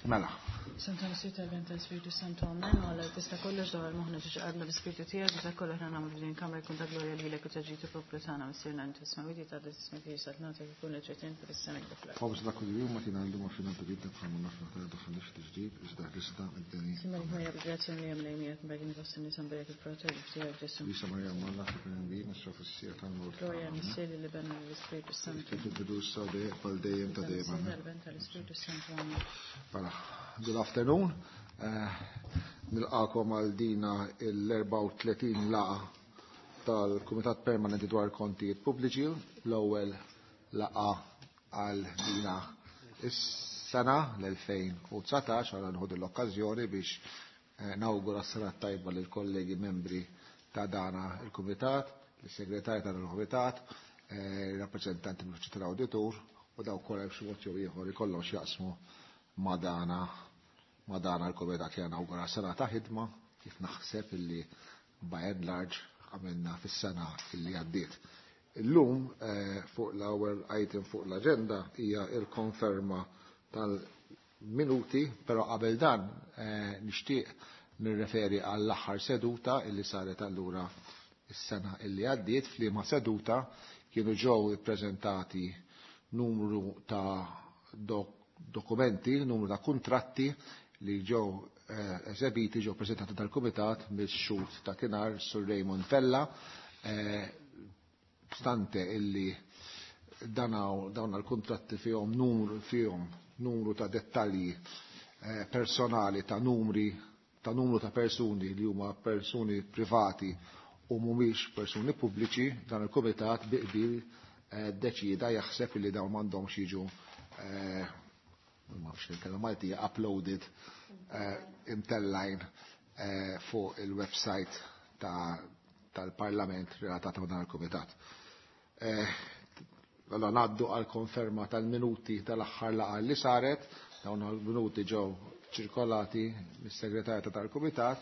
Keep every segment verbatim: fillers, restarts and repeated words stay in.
Mela. Santa Spiritu tal-Ben tal-Spiritu Santu Amen, u għalla tista kollox dawar moħna ġiġ għadna l-Spiritu tijak, biex kollox ħna nagħmlu din kamra jkun ta' glorja lilek u ta' ġid poplu tagħna missierna inti smawiti ta' ismek li saltnatek ikun ġejtin fis-sema fl-art. Fawz dak kull jum ma tina llum għafina tbidna bħal ma nafna ta' daħħalix tiġdid iżda ħlisna mid-deni. Simma li ħajja bil-grazzja li hemm lejn miegħek fost in-nies nberek il-frott tiegħek Ġesu. Lisa Maria Malla fil bi nisra fis-sija tal-mewt. Glorja Missier li Ben l-Ispiritu Santu. Kif il-bidu sa dejjem bħal dejjem ta' dejjem. Amen. Tal-Ben tal-Ispiritu Santu Amen. Mela, good afternoon. Eh, Nilqakom għal dina l-erbgħa u tletin laqa tal-Kumitat Permanenti dwar Kontijiet Pubbliċi, l-ewwel laqa għal dina is-sena l-elfejn u dsatax, għal nħodu l-okkażjoni biex, eh, nawgura s-sena tajba lil kollegi membri ta' dana il-Kumitat, l-Segretarju tal-Kumitat, eh, rappreżentanti mill-Uffiċċju tal-Awditur u dawk kollha b'xi mod jew ieħor ikollhom x'jaqsmu ma' dana ma' dana l-Kumitat li nawgura sena ta' ħidma kif naħseb illi by and large għamilna fis-sena illi għaddiet. Illum, eh, fuq l-ewwel item fuq l-aġenda hija l-konferma tal-minuti, però qabel dan, eh, nixtieq nirreferi għall-aħħar seduta illi saret allura is-sena illi għaddiet, f'liema seduta kienu ġew ippreżentati numru ta' dok-, dokumenti, numru ta' kuntratti li ġew, eh, eżebiti, ġew preżentati dal-Kumitat mill-xhud ta' Kinar, Sur Raymond Vella, eh, stante illi danaw, dawn l-kontratti fihom numru, fihom numru ta' dettalji, eh, personali ta' numri ta' numru ta' persuni li huma persuni privati u mhumiex persuni pubbliċi, dan il-Kumitat bi qbil, eh, deċida jaħseb li dawn m'għandhomx jiġu, eh, ma nafx il-kelma Maltija, uploaded, eh, imtellajn, eh, fuq il-website ta', tal-Parlament relatata ma' dan il-Kumitat. Eh, allora ngħaddu għal konferma tal-minuti tal-aħħar laqgħa li saret, dawn il-minuti ġew ċirkolati mis-segretarja tal-Kumitat,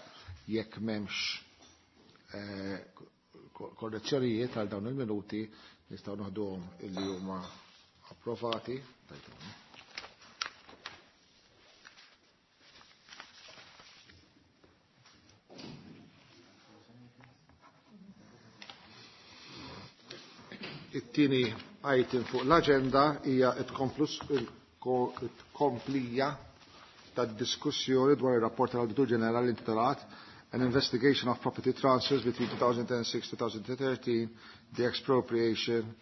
jekk m'hemmx, eh, korrezzjonijiet għal dawn il-minuti nistgħu noħduhom illi huma approvati. It-tieni item fuq l-aġenda hija it-komplija tad-diskussjoni dwar ir-rapport tal-Awditur Ġenerali intitolat An Investigation of Property Transfers between two thousand and six to two thousand and thirteen, the Expropriation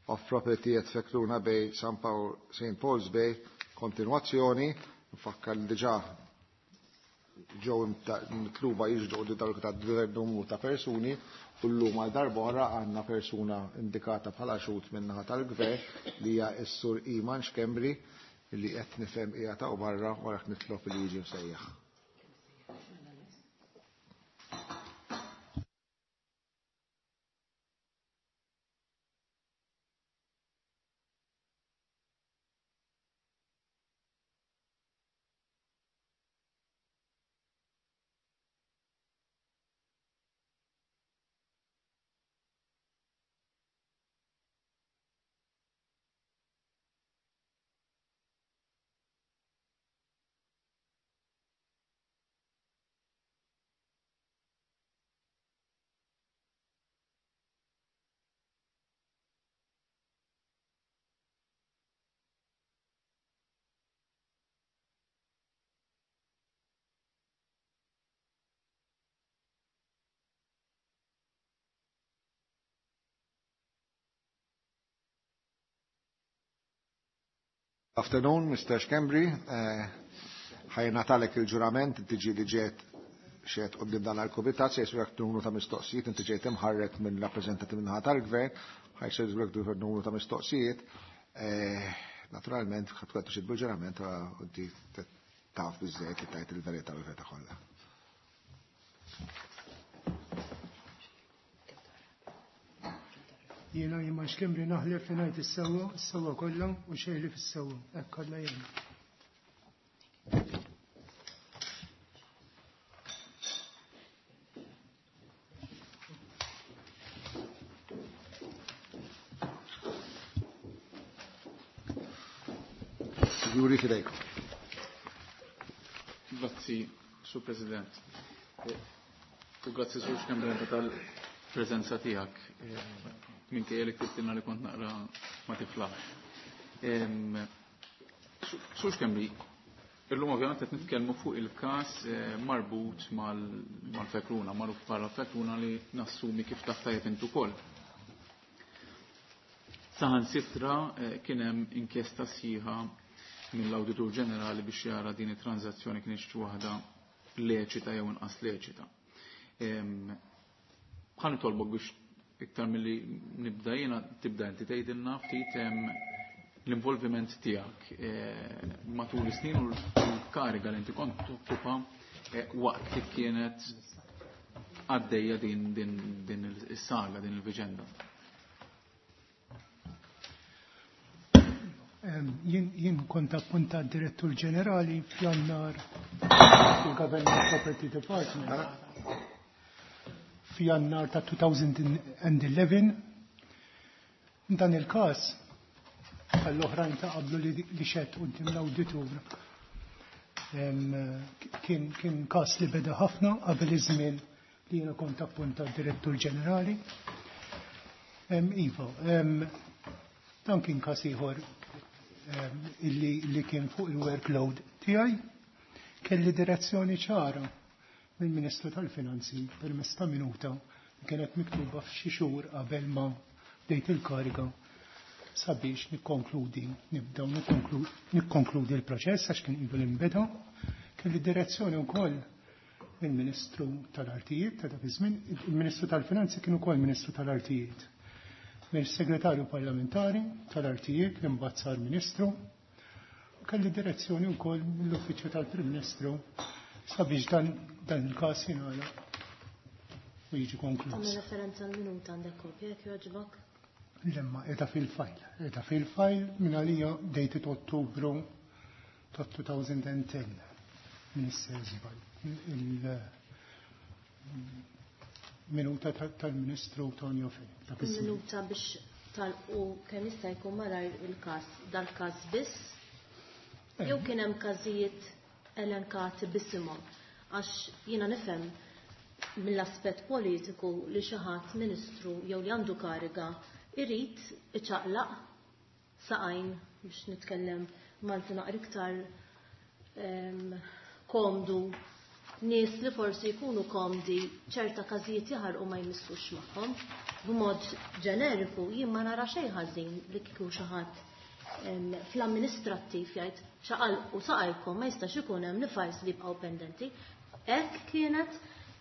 of Property at Fekruna Bay, San Paul, Saint Paul's Bay, kontinuazzjoni, nfakkar li diġà ġew mitluba jiġdu li dawk ta' numru ta' persuni, u llum għal darb'oħra għandna persuna indikata bħala xhud min-naħa tal-gvern li hija s-Sur Iman Schembri li qed nifhem hija ta' barra u għalhekk nitlob li jiġi msejjaħ. Afternoon, Mister Schembri. Eh, ħajna talek il-ġurament, inti ġi li ġiet xed qudiem dan għal-kumitat, se jsirek numru ta' mistoqsijiet, inti ġejt imħarrek minn rappreżentanti minn tal-gvern, ħajsirek numru ta' mistoqsijiet. Eh, naturalment, ħadd tkun xi bil-ġurament, inti taf biżżejjed li tajt il-verità u l-verità kollha. Jiena Iman Schembri naħlef li ngħid is-sewwa, is-sewwa kollha u xejn li fis-sewwa, hekk kollha jien. Signori, fidejkom. Grazzi, Sur President. U grazzi Sur Schembri tal-preżenza tiegħek. Minkejja li ktibtilna li kont naqra ma tiflax. Sur Schembri, illum ovvjament qed nitkellmu fuq il-każ marbut mal-Fekruna, magħruf bħala Fekruna li nassumi kif taf tajjeb int ukoll. Saħansitra kien hemm inkjesta sħiħa mill-Awditur Ġenerali biex jara din it-transazzjoni kienx waħda leċita jew inqas leċita. Ħa nitolbok biex iktar milli nibda jiena tibda inti tgħidilna ftit l-involviment tiegħek matul is-snin u l-kariga li inti kont tokkupa waqt li kienet għaddejja din din din is-saga, din il-viġenda. Jien kont appuntat direttur ġenerali f'Jannar fil-Government Property Department f'Jannar ta' twenty eleven. Dan il-każ għall-oħrajn ta' qablu li xehed quddiem l-awditur kien kien każ li beda ħafna qabel iż-żmien li jiena kont appuntat direttur ġenerali. Iva, dan kien każ ieħor illi li kien fuq il-workload tiegħi. Kelli direzzjoni ċara mill-Ministru tal-Finanzi permezz ta' minuta li kienet miktuba f'xi xhur qabel ma bdejt il-kariga sabiex nikkonkludi, nibdew nikkonkludi l-proċess għax kien ilu l-imbeda. Kelli direzzjoni wkoll mill-Ministru tal-Artijiet ta' dak iż-żmien, il-Ministru tal-Finanzi kien ukoll Ministru tal-Artijiet, mill-Segretarju Parlamentari tal-Artijiet li mbagħad sar Ministru. Kelli direzzjoni wkoll mill-Uffiċċju tal-Prim Ministru sabiex dan, dan il-każ jingħalaq u jiġi konkluż. Tagħmel referenza l-minuta, għandek kopja jekk jogħġbok? Lemma, qiegħda fil-file. Qiegħda fil-file minn għalija dated Ottubru ta' twenty ten. Minister żball. Il-minuta tal-Ministru Tonio Fenech. Il-minuta biex tagħlqu kemm jista' jkun malajr il-każ, dal-każ biss? Jew kien hemm każijiet elenkati b'isimhom? Għax jiena nifhem mill-aspett politiku li xi ħadd ministru jew li għandu kariga irid iċaqlaq saqajn, biex nitkellem Malti naqra iktar komdu, nies li forsi jkunu komdi ċerta każijiet jaħarqu ma jmissux magħhom. B'mod ġeneriku jien ma nara xejn ħażin li kieku xi ħadd fl-amministrattiv jgħid ċaqalqu saqajkom, ma jistax ikun hemm li files li jibqgħu pendenti. Hekk kienet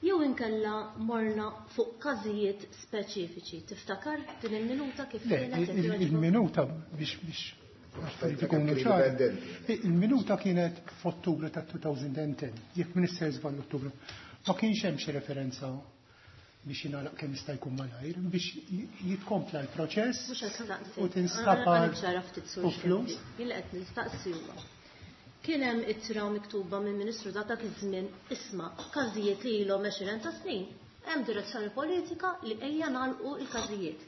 jew inkella morna fuq każijiet speċifiċi? Tiftakar din il-minuta kif kienet? Il-minuta, biex biex affarijiet ikunu ċari. Il-minuta kienet f'Ottubru ta' twenty ten, jekk Minister żball Ottubru. Ma kienx hemm xi referenza biex jingħalaq kemm jista' jkun malajr, biex jitkompla l-proċess u tinstab u flus. Jien qed nistaqsi huwa: kien hemm ittra miktuba minn Ministru dak iż-żmien, isma' każijiet li ilhom għexieren ta' snin, hemm direzzjoni politika li ejja nagħlqu l-każijiet?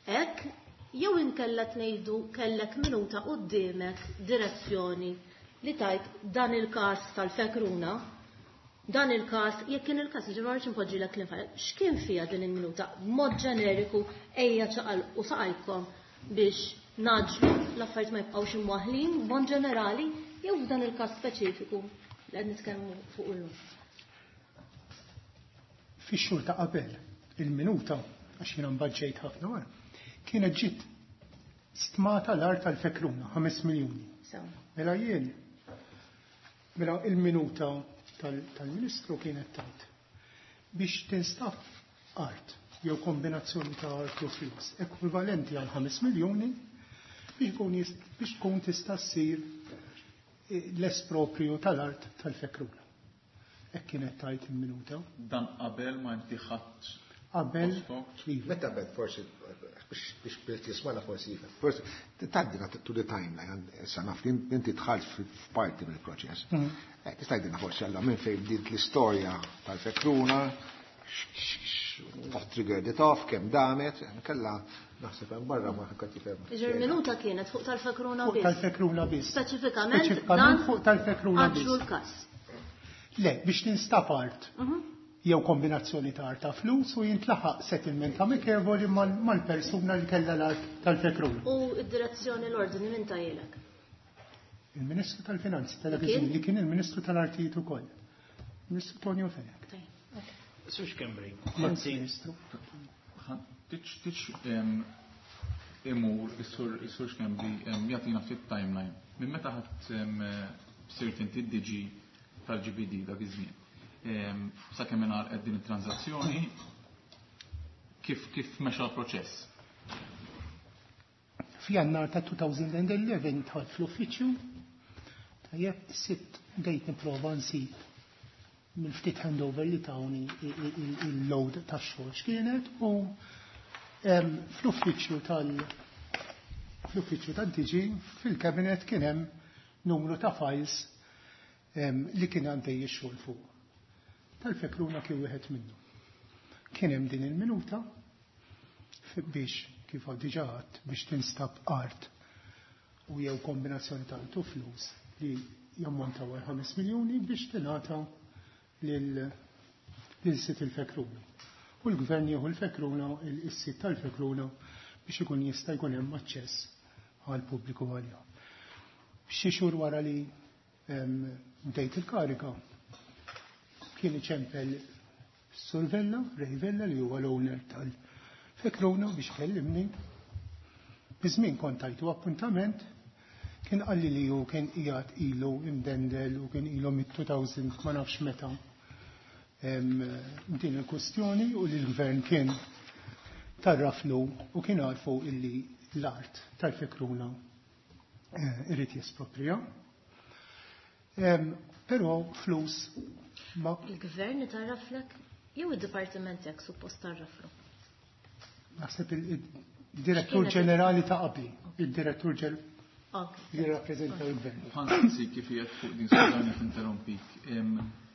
Hekk jew inkella tnejdu kellek minuta quddiemek direzzjoni li tajt dan il-każ tal-Fekruna, dan il-każ, jekk kien il-każ, ġifieri ma npoġġilek l x'kien fiha din il-minuta b'mod ġeneriku, ejja ċaqalqu saqajkom biex ngħaġġlu l-affarijiet ma jibqgħux imwaħlin, b'mod ġenerali jew f'dan il-każ speċifiku li qed nitkellmu fuq illum? Fix-xhur ta' qabel il-minuta, għax jiena mbagħad ħafna wara, kienet ġiet stmata l-art tal-Fekruna, ħames miljuni. Mela jien, mela il-minuta tal-Ministru kienet tajt biex tinstab art jew kombinazzjoni ta' art u flus ekwivalenti għal ħames miljoni biex tkun tista' ssir eh, l-esproprio tal-art tal-Fekruna. Hekk kienet tajt il-minuta. Dan qabel ma inti ħadd Qabel. Iva. Meta bed forsi biex biex jismana forsi forsi tgħaddina to the timeline, issa naf li inti dħalt f'parti mill-proċess. Mm. Eh, tista' tgħidilna forsi alla minn fejn bdiet l-istorja tal-Fekruna, what triggered it off, kemm damet, kella naħseb hemm barra ma ħadd jifhem. Iġer minuta kienet fuq tal-Fekruna biss. Tal-Fekruna biss. Speċifikament fuq tal-Fekruna biss. l-każ. Le, biex tinstab art. Jew kombinazzjoni ta' art ta' flus u jintlaħaq settlement amikevoli mal-persuna li kellha l-art tal-Fekruna. U id-direzzjoni, l-ordni minn tahielek? Il-Ministru tal-Finanzi tal-Kien li kien il-Ministru tal-Artijiet ukoll. Ministru Tonio Fenech. Sur Schembri, Ministru. Tix tix imur is-sur Schembri jagħtina ftit timeline. Minn meta ħadd sirt inti D G tal-G B D dak iż-żmien, sakemm ingħalqet din it-transazzjoni, kif kif mexa l-proċess? F'Jannar ta' elfejn u ħdax dħalt fl-uffiċċju, tajjeb, sitt bdejt nipprova nsib mill-ftit handover li tawni il-load tax-xogħol x'kienet u fl-uffiċċju tal fl-uffiċċju tad-D G fil-kabinet kien hemm numru ta' files li kien għaddej ix-xogħol fuq. Tal-Fekruna kien wieħed minnu. Kien hemm din il-minuta biex, kif diġà għedt, biex tinstab art u jew kombinazzjoni ta' art u flus li jammontaw għal ħames miljuni biex tingħata lil sid il-Fekruna. U l-gvern jieħu l-Fekruna, il-sit tal-Fekruna, biex ikun jista' jkun hemm aċċess għal pubbliku għalija. Xi xhur wara li bdejt il-karika, kien iċempel Sur Vella, Ray Vella, li huwa l-owner tal-Fekruna, biex kellimni. Biż-żmien kont tajtu appuntament, kien qalli li hu kien qiegħed ilu imdendel u kien ilu mit-elfejn ma nafx meta din il-kwestjoni u li l-gvern kien tarraflu u kien għarfu illi l-art tal-Fekruna eh, irid jesproprija. Però flus ma Il-gvern tarraflek jew id-dipartiment tiegħek suppost tarraflu? Naħseb il-direttur ġenerali ta' qabli, il-direttur li rappreżenta l-gvern. Ħa nsaqsi kif qiegħed fuq din, skużani interrompik.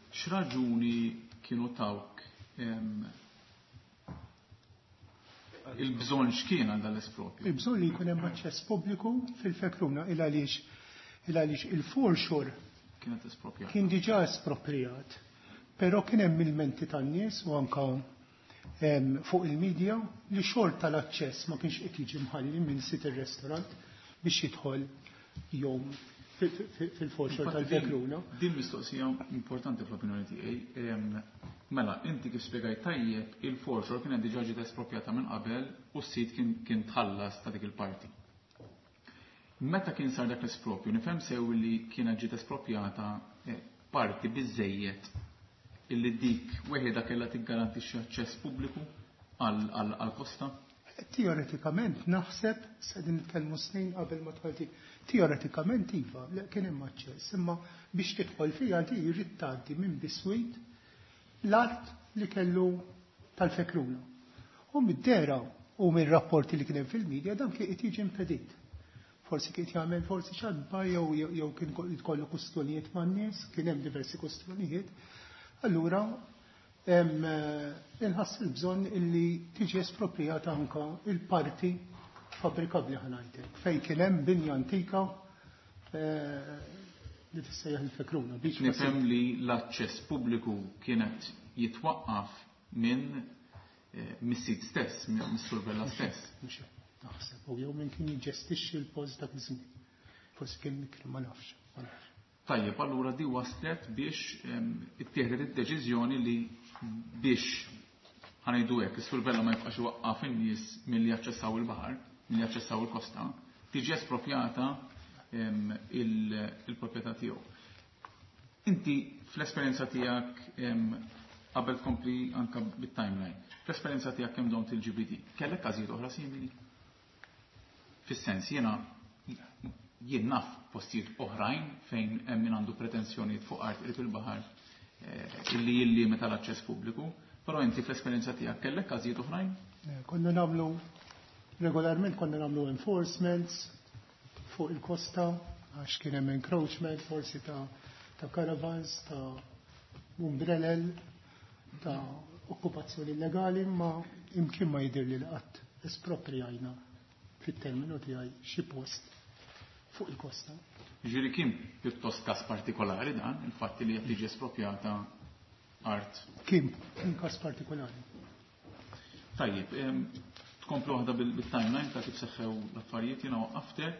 X'raġuni kienu tawk, il-bżonn x'kien għal dal-espropju? Il-bżonn li jkun hemm aċċess pubbliku fil-Fekruna il għaliex il għaliex il-foreshore kienet espropjat. Kien diġà esproprijat, però kien hemm ilmenti tan-nies u anka fuq il-medja li xorta l-aċċess ma kienx qed jiġi mħalli minn sid ir-restaurant biex jidħol jom fil-foreshore tal-Fekruna. Din mistoqsija importanti fl-opinjoni tiegħi. Mela, inti kif spjegajt tajjeb, il-foreshore kienet diġà ġiet espropjata minn qabel u s-sit kien tħallas ta' dik il-parti. Meta kien sar dak l-espropju, nifhem sew li kienet ġiet espropjata eh, parti biżejjed illi dik weħida kellha tiggarantixxi aċċess pubbliku għall-kosta? Teoretikament naħseb, se din nitkellmu snin qabel ma dħalti, teoretikament iva, le kien hemm aċċess, imma biex tidħol fiha di jrid tgħaddi minn biswit l-art li kellu tal-Fekruna. U mid-dehra u mir-rapporti li kien hemm fil-medja dan kien qed jiġi impedit. Forsi kien jagħmel forsi xadba jew jew kien jkollu kustjonijiet man-nies, kien hemm diversi kustjonijiet. Allura inħass il-bżonn illi tiġi esproprijata anka il-parti fabbrikabbli, ħa ngħidlek, fejn kien hemm binja antika eh, li tissejjaħ il-Fekruna. Nifhem li l-aċċess pubbliku kienet jitwaqqaf minn eh, mis-sit stess, mis-Sur Vella stess. Naħseb, u jew minn kien jiġġestixxi l-post dak iż-żmien. Forsi kien mikri, ma nafx, ma nafx. Tajjeb, allura di waslet biex ittieħdet id-deċiżjoni li biex, ħa ngħidu hekk, is-Sur Vella ma jibqax iwaqqaf in-nies milli jaċċessaw il-baħar, milli jaċċessaw il-kosta, tiġi espropjata il-proprjetà tiegħu. Inti fl-esperjenza tiegħek, qabel tkompli anka bit-timeline, fl-esperjenza tiegħek kemm domt il-G B D, kellek każijiet oħra simili? Fis-sens, jiena jien naf postijiet oħrajn fejn hemm min għandu pretensjonijiet fuq art qrib il-baħar eh, illi jillimita l-aċċess pubbliku, però inti fl-esperjenza tiegħek kellek każijiet oħrajn? Eh, konna nagħmlu regolarment, konna nagħmlu enforcements fuq il-kosta għax kien hemm encroachment forsi ta' ta' caravans, ta' umbrellel, ta' okkupazzjoni illegali, ma imkien ma jidir li qatt esproprijajna fit-terminu tiegħi xi post fuq il-kosta. Ġifieri kien pjuttost każ partikolari dan, il-fatt li qed tiġi espropjata art. Kien, kien każ partikolari. Tajjeb, tkomplu waħda bil-timeline ta' kif seħħew l-affarijiet, jiena waqqaftek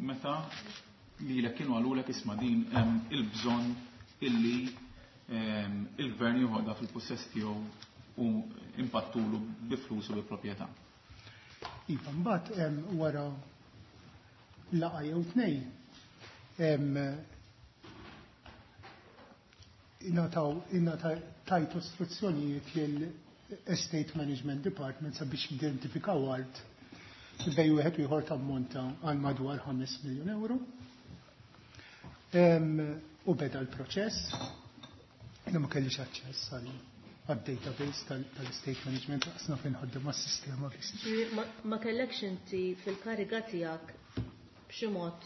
meta lilek kienu qalulek isma' din il-bżonn illi il-gvern joħodha fil-pussess tiegħu u impattulu bi flus u bi proprjetà. Iva, mbagħad wara laqgħa jew tnejn ingħataw tajtu istruzzjonijiet lil Estate Management Department sabiex identifikaw art bej wieħed u ieħor tammonta għal madwar ħames miljun euro. U beda l-proċess. Jiena ma kellix aċċess għad-database tal-Estate Management, għasna fejn ħaddem għas-sistema biss. Ma kellekx inti fil-kariga tiegħek b'xi mod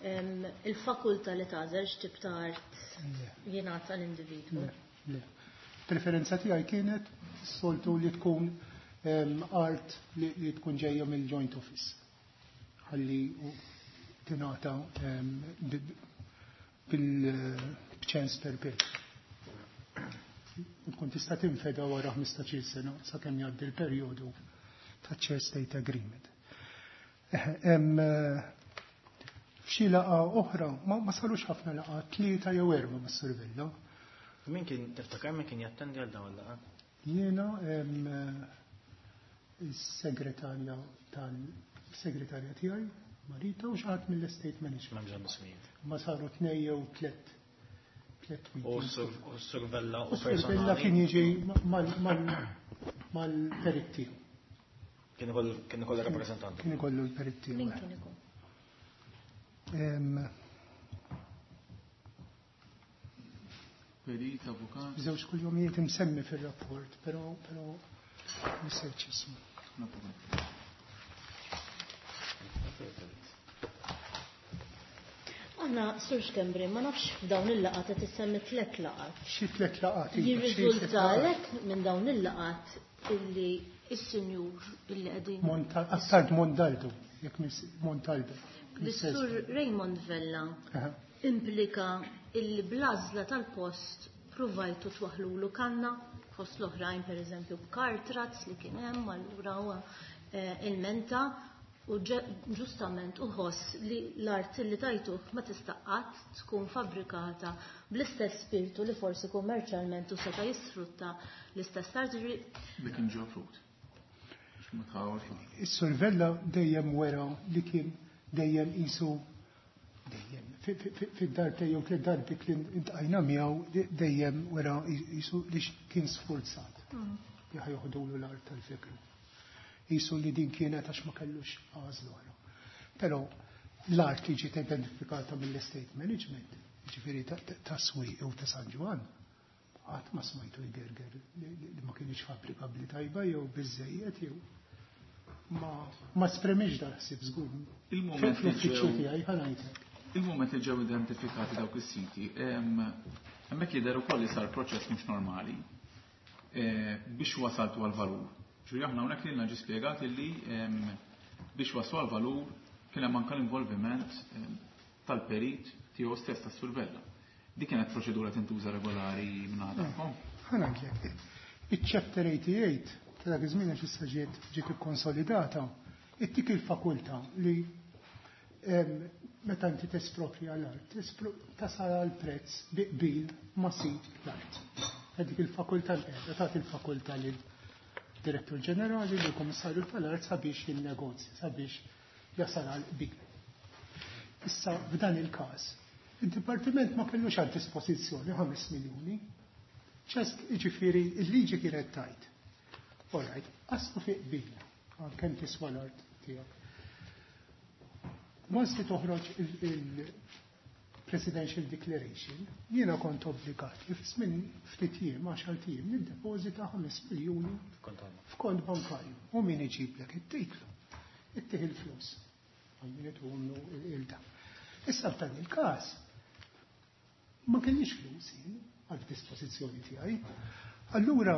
il-fakultà li tagħżel x'tip ta' art jingħata l-individwu? Le, le. Preferenza tiegħi kienet soltu li tkun art li tkun ġejja mill-joint office. Ħalli tingħata bil-ċens perpetwu. U tkun tista' tinfeda wara ħmistax-il sena sakemm jgħaddi l-perjodu ta' Chair State Agreement. F'xi laqgħa oħra ma sarux ħafna laqgħa, tlieta jew erba' mas-Sur Vella. Min kien tiftakar min kien jattendi għal dawn il-laqgħat? Jiena is-segretarja tal-segretarja tiegħi Marita u xi ħadd mill-Estate Management. Ma bżonn ismijiet. Ma saru tnejn jew tliet tliet U meetings. s-Sur Vella u U s-Sur Vella kien personali. jiġi mal-perit tiegħu. Kien ikollu kien ikollu rappreżentanti. Kien ikollu l-perit tiegħu. Min kien ikun? Perit, avukat. Żewġ kuljomijiet imsemmi fir-rapport, però però nisejt x'ismu. Aħna, Sur Schembri, ma nafx f'dawn il-laqgħat qed issemmi tliet laqgħat. Xi tliet laqgħat, iva, xi tliet Jirriżultalek minn dawn il-laqgħat illi s-sinjur illi qegħdin Monta-, Attard Mondaldo, jekk mis Montaldo. L-Sur Raymond Vella Aha. implika illi bl-għażla tal-post provajtu twaħlulu kanna fost l-oħrajn, per eżempju, b'kartrazz li kien hemm, allura huwa il-menta u ġustament uħoss li l-art li tajtuh ma tista' qatt tkun fabbrikata bl-istess spiritu li forsi kummerċjalment u seta' jisfrutta l-istess art. Li kien ġew frut. Ma tħawx. Is-Sur Vella dejjem wera li kien dejjem qisu dejjem fid-dar tiegħu tliet darbit li intqajna miegħu dejjem wera qisu li kien sfurzat li ħajoħdulu l-art tal-fikru. Qisu li din kienet għax ma kellux għażla oħra. Però l-art li ġiet identifikata mill-estate management, ġifieri ta' Swieqi u ta' San Ġwann, qatt ma smajtu jgerger li ma kienx fabbrikabbli tajba jew biżejjed jew ma ma spremix dal-ħsieb żgur. Il-moment li Fl-uffiċċju ġew tiegħi ħa ngħidlek. Il-moment li ġew identifikati dawk is-siti, hemmhekk jidher ukoll li sar proċess mhux normali biex wasaltu għal-valur. Ġifieri aħna hawnhekk lilna ġie spjegat illi biex waslu għal-valur kien hemm anke l-involviment tal-perit tiegħu stess tas-Sur Vella. Dik kienet proċedura tintuża regolari minn għadkom? Ħa ngħidlek. Iċ-chapter eighty-eight ta' dak iż-żmien għax issa ġiet ġiet ikkonsolidata, ittik il-fakultà li meta inti tesproprja l-art, tasal għal prezz bi qbil ma' sid l-art. Dik il-fakultà l-qiegħda tagħti il-fakultà lil direttur ġenerali li kummissarju tal-art sabiex jinnegozja, sabiex jasal għal qbil. Issa f'dan il-każ, id-dipartiment ma kellux għad dispożizzjoni ħames miljuni. Ċest, jiġifieri il-liġi kienet tajt. All right, qasmu fi qbil għal kemm tiswa l-art tiegħek. Once li toħroġ il-Presidential Declaration, jiena kont obbligat li fi żmien ftit jiem, għaxar ijiem, niddepożita ħames miljuni f'kont bankarju. U min iġiblek it-titlu, ittih il-flus. Għal min ituhomlu il-da. Issa f'dan il-każ, ma kellix flus jien għal dispożizzjoni tiegħi. Allura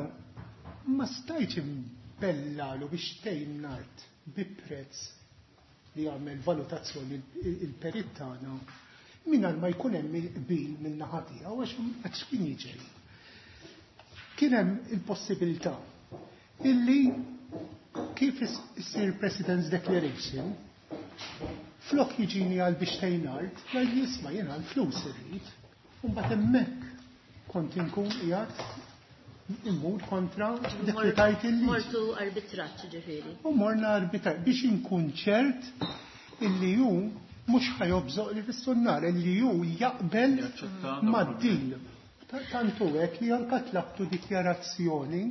ma stajtx imbellalu biex tgħin l-art bi prezz li jagħmel valutazzjoni il-perit tagħna mingħajr ma jkun hemm il-qbil min-naħa tiegħu għax x'kien jiġri. Kien hemm il-possibilità illi kif issir President's Declaration flok jiġini għal biex tejnart, jgħid jisma' jiena l-flus irrid, u mbagħad hemmhekk kont inkun qiegħed immur kontra dik li tajt il-liġi. Mortu arbitraġġ ġifieri. U morna arbitraġġ biex inkun ċert illi hu mhux ħa jobżoq li fis-sunnar, illi hu jaqbel mad-deal. Tantu hekk li anka tlabtu dikjarazzjoni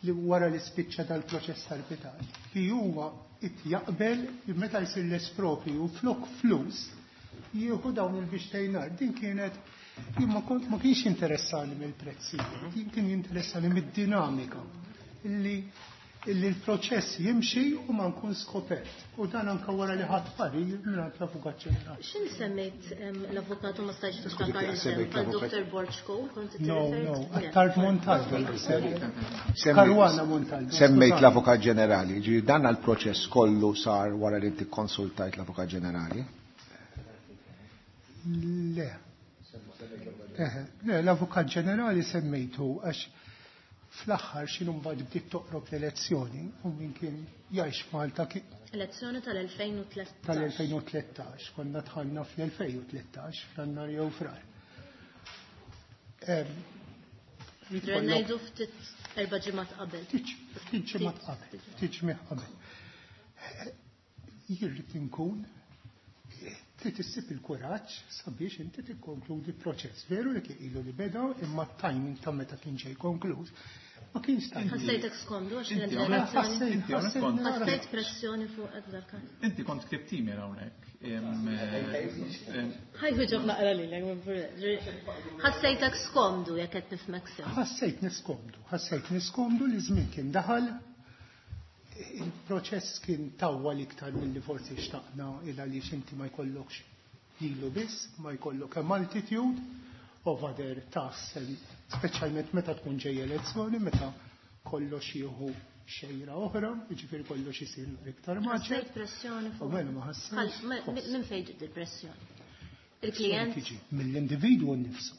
li wara li spiċċa dal-proċess arbitraġġ li huwa it jaqbel li meta jsir l-espropriju flok flus jieħu dawn il-biex. Din kienet jien ma kont ma kienx interessani mill-prezzijiet, jien kien jinteressani mid-dinamika illi illi l-proċess jimxi u ma nkun skopert. U dan anka wara li ħadd parir mingħand l-Avukat Ġenerali. X'in semmejt l-avukat u ma stajtx tiftakar semmejt l-isem l-avukat. Dottor Borg Cole, kont No, tirreferi? no, Le. Attard Montalvo. Caruana Montalvo. Semmejt skużani. l-Avukat Ġenerali, ġifieri dan għal-proċess kollu sar wara li inti konsultajt l-Avukat Ġenerali? Le. Eħe, le, l-Avukat Ġenerali semmejtu għax fl-aħħar x'inhu mbagħad bdiet toqrob l-elezzjoni u min kien jgħix Malta ki- Elezzjoni tal-elfejn u tlettax. tal-elfejn u tlettax, konna dħalna fl-elfejn u tlettax, fl-annar jew frar. Em, Dre ngħidu ftit erba' ġimgħat qabel. Ftit ġimgħat qabel, ftit ġimgħat qabel. Jien rrid inkun trid issib il-kuraġġ sabiex inti tikkonkludi proċess. Veru li kien ilu li beda, imma t-timing ta' meta kien ġej konkluż ma kienx timing. Ħassejtek skomdu għax kienet Inti hawnhekk direzzjoni. Ħassejt, Inti hawnhekk ħassejt kont- nara. Ħassejt pressjoni fuq dal-każ. Inti kont ktibt email hawnhekk. Em, em, Ħaj wieġob naqra lilek. Ħassejtek skomdu jekk qed nifhmek sew. Ħassejt niskomdu, ħassejt niskomdu li żmien kien daħal, il-proċess kien tawwal iktar milli forsi xtaqna il għaliex inti ma jkollokx lilu biss, ma jkollok a multitude of other tasks, speċjalment meta tkun ġej elezzjoni, meta kollox jieħu xejra oħra, jiġifieri kollox isir iktar maġġel. Ħassejt pressjoni fuq. U mela ma ħassejtx. Ħal- ma- Minn fejn ġiet il-pressjoni? Il-klient? Tiġi mill-individwu nnifsu.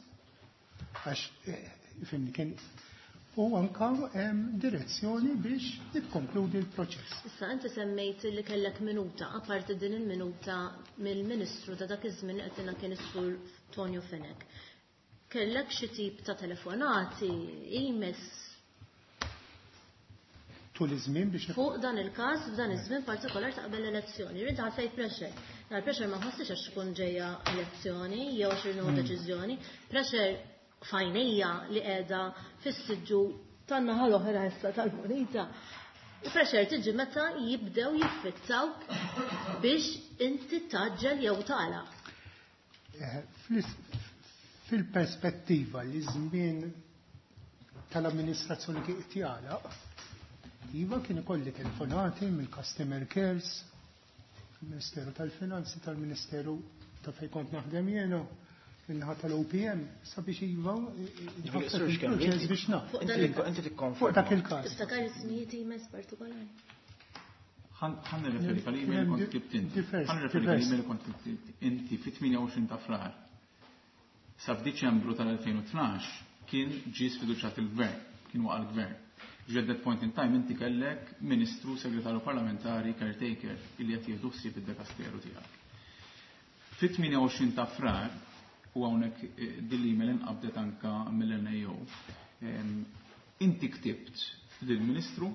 Għax, eh, fimni, kien u anka hemm direzzjoni biex tikkonkludi l-proċess. Issa inti semmejt li kellek minuta, apparti din il-minuta mill-Ministru ta' dak iż-żmien li qed kien is-Sur Tonio Fenech. Kellek xi tip ta' telefonati, emails Tul iż-żmien biex fuq dan il-każ f'dan iż-żmien partikolar ta' qabel l-elezzjoni. Rid ħassejt pressure. Dar pressure ma ħassix għax tkun ġejja elezzjoni jew għax irnu deċiżjoni. Pressure fajnejja li qiegħda fis-siġġu tan-naħa l-oħra issa tal-munita. Pressure tiġi meta jibdew jiffittawk biex inti taġġel jew tagħlaq. Eh, fl- Fil-perspettiva li żmien tal-amministrazzjoni kien qed jagħlaq, iva kien ikolli telefonati mill-customer cares, mill-Ministeru tal-Finanzi, tal-Ministeru ta' fejn kont naħdem jiena, min-naħa tal-O P M, sabiex iva, Ġifieri, Sur Xkembi, il-proċess biex naf. Fuq Inti dan il-każ. inti tikkonferma. Fuq dak il-każ. Tiftakar ismijiet emails partikolari? Ħan nirreferi għal email li kont ktibt inti. Divers, Ħan nirreferi għal divers. email li kont ktibt inti fit-tmienja u għoxrin ta' Frar. Sa f'Diċembru tal-elfejn u tnax kien ġie sfiduċjat il-gvern, kien waqa' l-gvern. Ġifieri at that point in time inti kellek ministru, segretarju parlamentari, caretaker illi qed jieħdu ħsieb id-dekasteru tiegħek. Fit-tmienja u għoxrin ta' Frar, u hawnhekk, eh, din l-email inqabdet anka mill-N A O, ehm, inti ktibt lill-ministru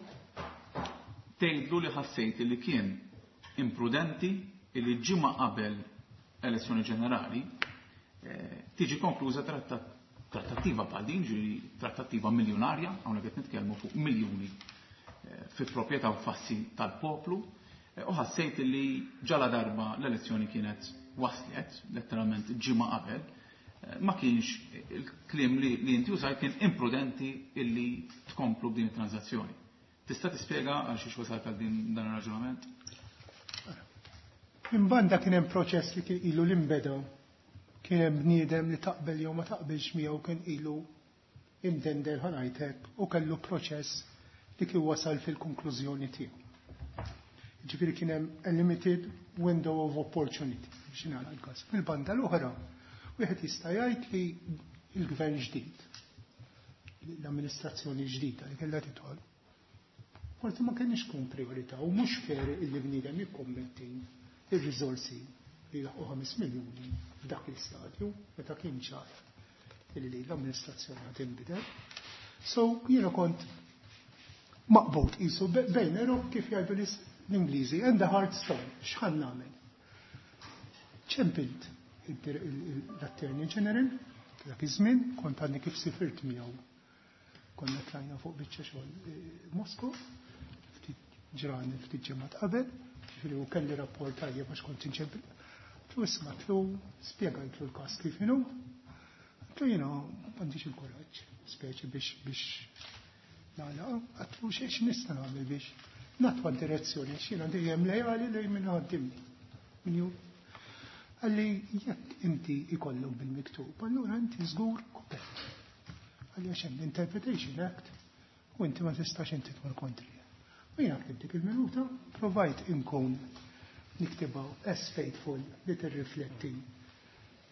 tgħidlu li ħassejt li kien imprudenti li ġimgħa qabel elezzjoni ġenerali, eh, tiġi konkluża tratta-, trattattiva bħal din, ġifieri trattattiva miljonarja, hawnhekk qed nitkellmu fuq miljuni, eh, fi proprjetà u fassi tal-poplu, eh, u ħassejt li ġala darba l-elezzjoni kienet waslet, letteralment ġimgħa qabel, eh, ma kienx il-kliem li, li inti użajt kien imprudenti illi tkomplu b'din it-transazzjoni. Tista' tispjega għal xiex wasalt għal din dan ir-raġunament? Minn banda kien hemm proċess li kien ilu l-imbeda, kien hemm bniedem li taqbel jew ma taqbilx miegħu kien ilu imdendel ħanajtek u kellu proċess li kien wasal fil-konklużjoni tiegħu. Ġifieri kien hemm a limited window of opportunity biex nagħlaq il-każ. Fil-banda l-oħra, wieħed jista' jgħid li l-gvern ġdid, l-amministrazzjoni ġdida li kellha tidħol, forsi ma kienx tkun priorità u mhux fair illi bniedem jikkommetti ir-riżorsi li laħqu ħames miljuni f'dak il-stadju meta kien ċar illi l-amministrazzjoni ħad tinbidel. So jiena kont maqbut qisu bejn erok kif jgħidu l-Ingliżi and the hard stone, x'ħan nagħmel? Ċempilt l-Attorney General dak iż-żmien, kont għadni kif sifirt miegħu. Konna tlajna fuq biċċa xogħol Moskow, ftit ġrani ftit ġimgħat qabel, ġifieri u kelli rapport tajjeb għax kont inċempil. Tlu isma' tlu spjegajtlu l-każ kif inhu. Tlu jiena m'għandix il-kuraġġ, speċi biex biex nagħlaq, għatlu xiex nista' nagħmel biex natwa direzzjoni, għax jiena dejjem lejali lejn min ħaddimni. Min ju Għalli jekk inti ikollok bil-miktub, allura inti żgur kopert. Għalli għax hemm l-Interpretation Act u inti ma tistax inti tmur kontri. U jiena ktibt dik il-minuta, provajt inkun niktibha as faithful li tirrifletti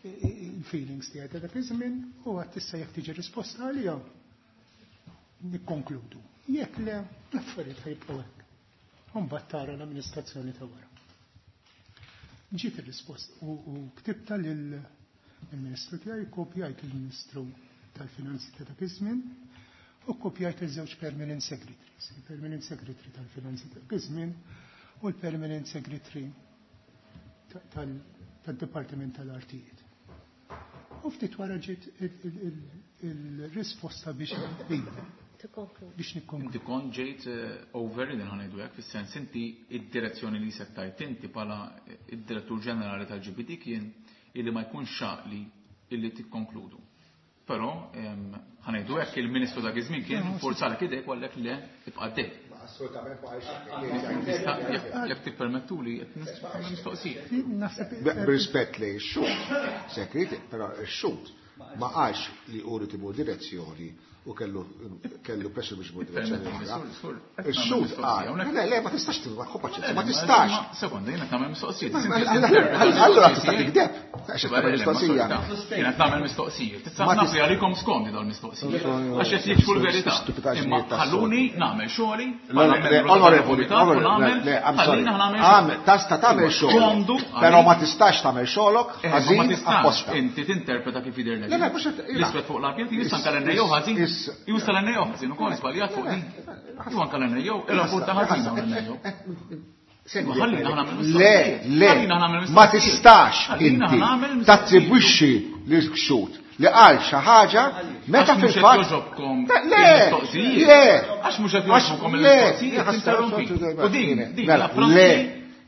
il-feelings tiegħi ta' dak iż-żmien u għad tista' jekk tiġi risposta għalija nikkonkludu. Jekk le, l-affarijiet ħajbqgħu hekk. U mbagħad tara l-amministrazzjoni ta' wara. Ġiet ir-risposta u ktibta lill-Ministru tiegħi, kopjajt il-Ministru tal-Finanzi ta' dak iż-żmien u kopjajt iż-żewġ permanent secretaries, il-permanent secretary tal-Finanzi ta' dak iż-żmien u l-permanent secretary tad-Dipartiment tal-Artijiet. U ftit wara ġiet il-risposta biex biex nikkonkludi. Inti kont ġejt overridden ħa ngħidu hekk, fis-sens inti id-direzzjoni li settajt inti bħala id-direttur ġenerali tal-G B D kien illi ma jkunx xaqli illi tikkonkludu. Però ħa ngħidu hekk il-Ministru dak iż-żmien kien forzalek idejk u għallek le tibqa' għaddej. Assolutament ma għalx. Jekk tippermettuli qed mistoqsija. B'rispett li x-xhud, sekreti, però x-xhud ma qalx li hu rid imur direzzjoni u kellu kellu pressure biex imur direzzjoni oħra. Ix-xhud qal, le, le, ma tistax tilma, ħu paċenzja, ma tistax. Sekonda, jiena nagħmel mistoqsijiet. Allura tista' tikdeb, għax qed tagħmel mistoqsija. Jiena nagħmel mistoqsijiet. Tista' naf li għalikom skomdi dawn il-mistoqsijiet. Għax qed jikxfu l-verità. Imma ħalluni nagħmel xogħli, Onorevoli, le, I'm sorry. Tista' tagħmel xogħol, però ma tistax tagħmel xogħolok ħażin apposta. Inti tinterpreta kif jidher lek. Le, le, mhux qed L-iswed fuq l-abjad, jista' anke l-N A O ħażin. Jista' l-N A O ħażin ukoll żbaljat fuq din. Jew anke l-N A O, ir-rapport ta' ħażin hawn l-N A O. Ħallina nagħmel Le, mistoqsijiet. le, Ħallina nagħmel ma mistoqsijiet. tistax Ħallina inti nagħmel mistoqsijiet. tattribwixxi lil xhud li qal xi ħaġa meta Għax mhux qed fil-fatt jogħġobkom Le, il-mistoqsijiet. le. Għax mhux qed Għax jogħġobkom le. il-mistoqsijiet, Għax tinterrompi. mela, U din, din, le, la prassi le,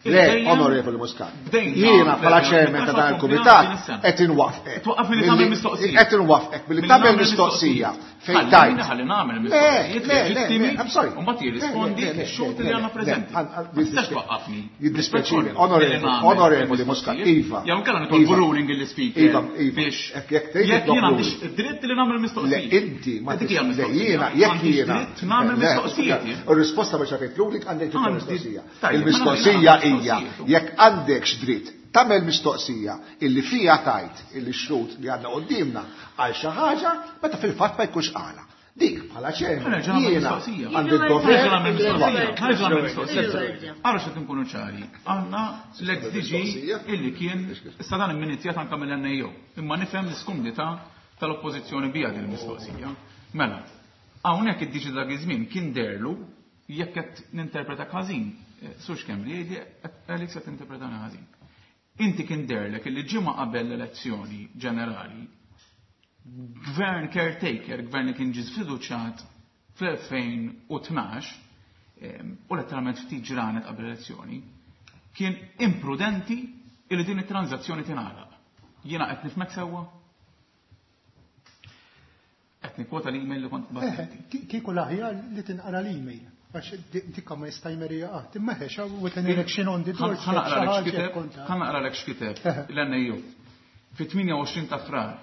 il-dejjem onorevoli Muscat. bdejna Jiena bħala fl-elfejn chairman ta' dan u il-kumitat din is-sena. qed inwaffqek. Twaqqaf milli tagħmel mistoqsija. Qed inwaffqek billi Milli tagħmel nagħmel mistoqsija mistoqsija. fejn Ħallini tajt. ħalli nagħmel Le, mistoqsijiet le, le, leġittimi le, I'm sorry. u mbagħad jirrispondi Le, le, le, x-xhud le, li għandna le, preżenti. le, għal- Ma tistax twaqqafni. Jiddispjaċini, Billi onorevoli, nagħmel onorevoli Muscat, mistoqsijiet. Iva. Jew inkella nitolbu Iva. ruling il-speaker Iva, Iva. biex Jekk jekk tgħid jekk titlob jien għandix ruling. id-dritt li nagħmel Le, mistoqsijiet. inti ma Dik hija tis- le, mistoqsija. jiena, jekk Għandix jiena. dritt nagħmel Le, mistoqsijiet jien. Ir-risposta biex għatajt ruling għandek titlob Għandi- mistoqsija. Tajjeb, Il-mistoqsija ma nagħmel hija mistoqsijiet. jekk għandekx dritt tagħmel mistoqsija illi fija tajt illi x-xhud li għandna quddiemna għal xi ħaġa meta fil-fatt ma jkunx qala. Dik bħala ċermen, Ħa nerġa' nagħmel jiena mistoqsija. għandi d-dover. Ħa nerġa' nagħmel mistoqsija. Ħa nerġa' nagħmel mistoqsija. Il-wordja. Ara x'qed inkunu ċari. Għandna l-ex D G illi kien issa dan imminitjat anke mill-N A O. Imma nifhem l-iskumdità tal-oppożizzjoni bija din il-mistoqsija. Mela, hawnhekk id-D G dak iż-żmien kien derlu jekk qed ninterpreta ħażin. Sur Schembri jgħidli Alex qed tinterpretani ħażin. Inti kien derlek illi ġimgħa qabel l-elezzjoni ġenerali gvern caretaker, gvern li kien ġie sfiduċjat fl-elfejn u tnax, em, u letteralment ftit ġranet qabel l-elezzjoni, kien imprudenti illi din it-tranzazzjoni tingħalaq. Jiena qed nifhmek sewwa? Qed nikkwota l-email li kont Eh, bagħat. ki-, kieku l-aħjar li tinqara l-email. Għax di-, dikka ma jista' jmerija qatt. Imma ħexa with an election on the door. Ħa naqra lek xi ħaġa x'kiteb, konta. ħa naqra lek x'kiteb Eh. l-N A O. Fit-tmienja u għoxrin ta' Frar,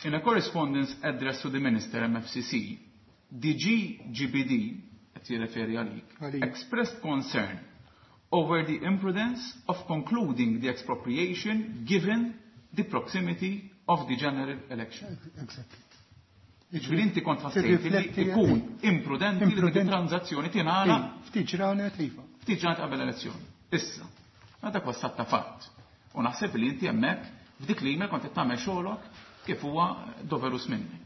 in a correspondence addressed to the Minister M F C C, D G G B D, qed jirreferi għalik, Għalik. expressed concern over the imprudence of concluding the expropriation given the proximity of the general election. Exactly. Ġifieri inti kont ħassejt li ikun imprudenti li dik it-tranżazzjoni tingħalaq Ftit ġranet iva. Ftit ġranet qabel elezzjoni. Issa, dak huwa ta' fatt. U naħseb li inti hemmhekk f'dik l-email kont qed tagħmel xogħolok kif huwa doverus minnek.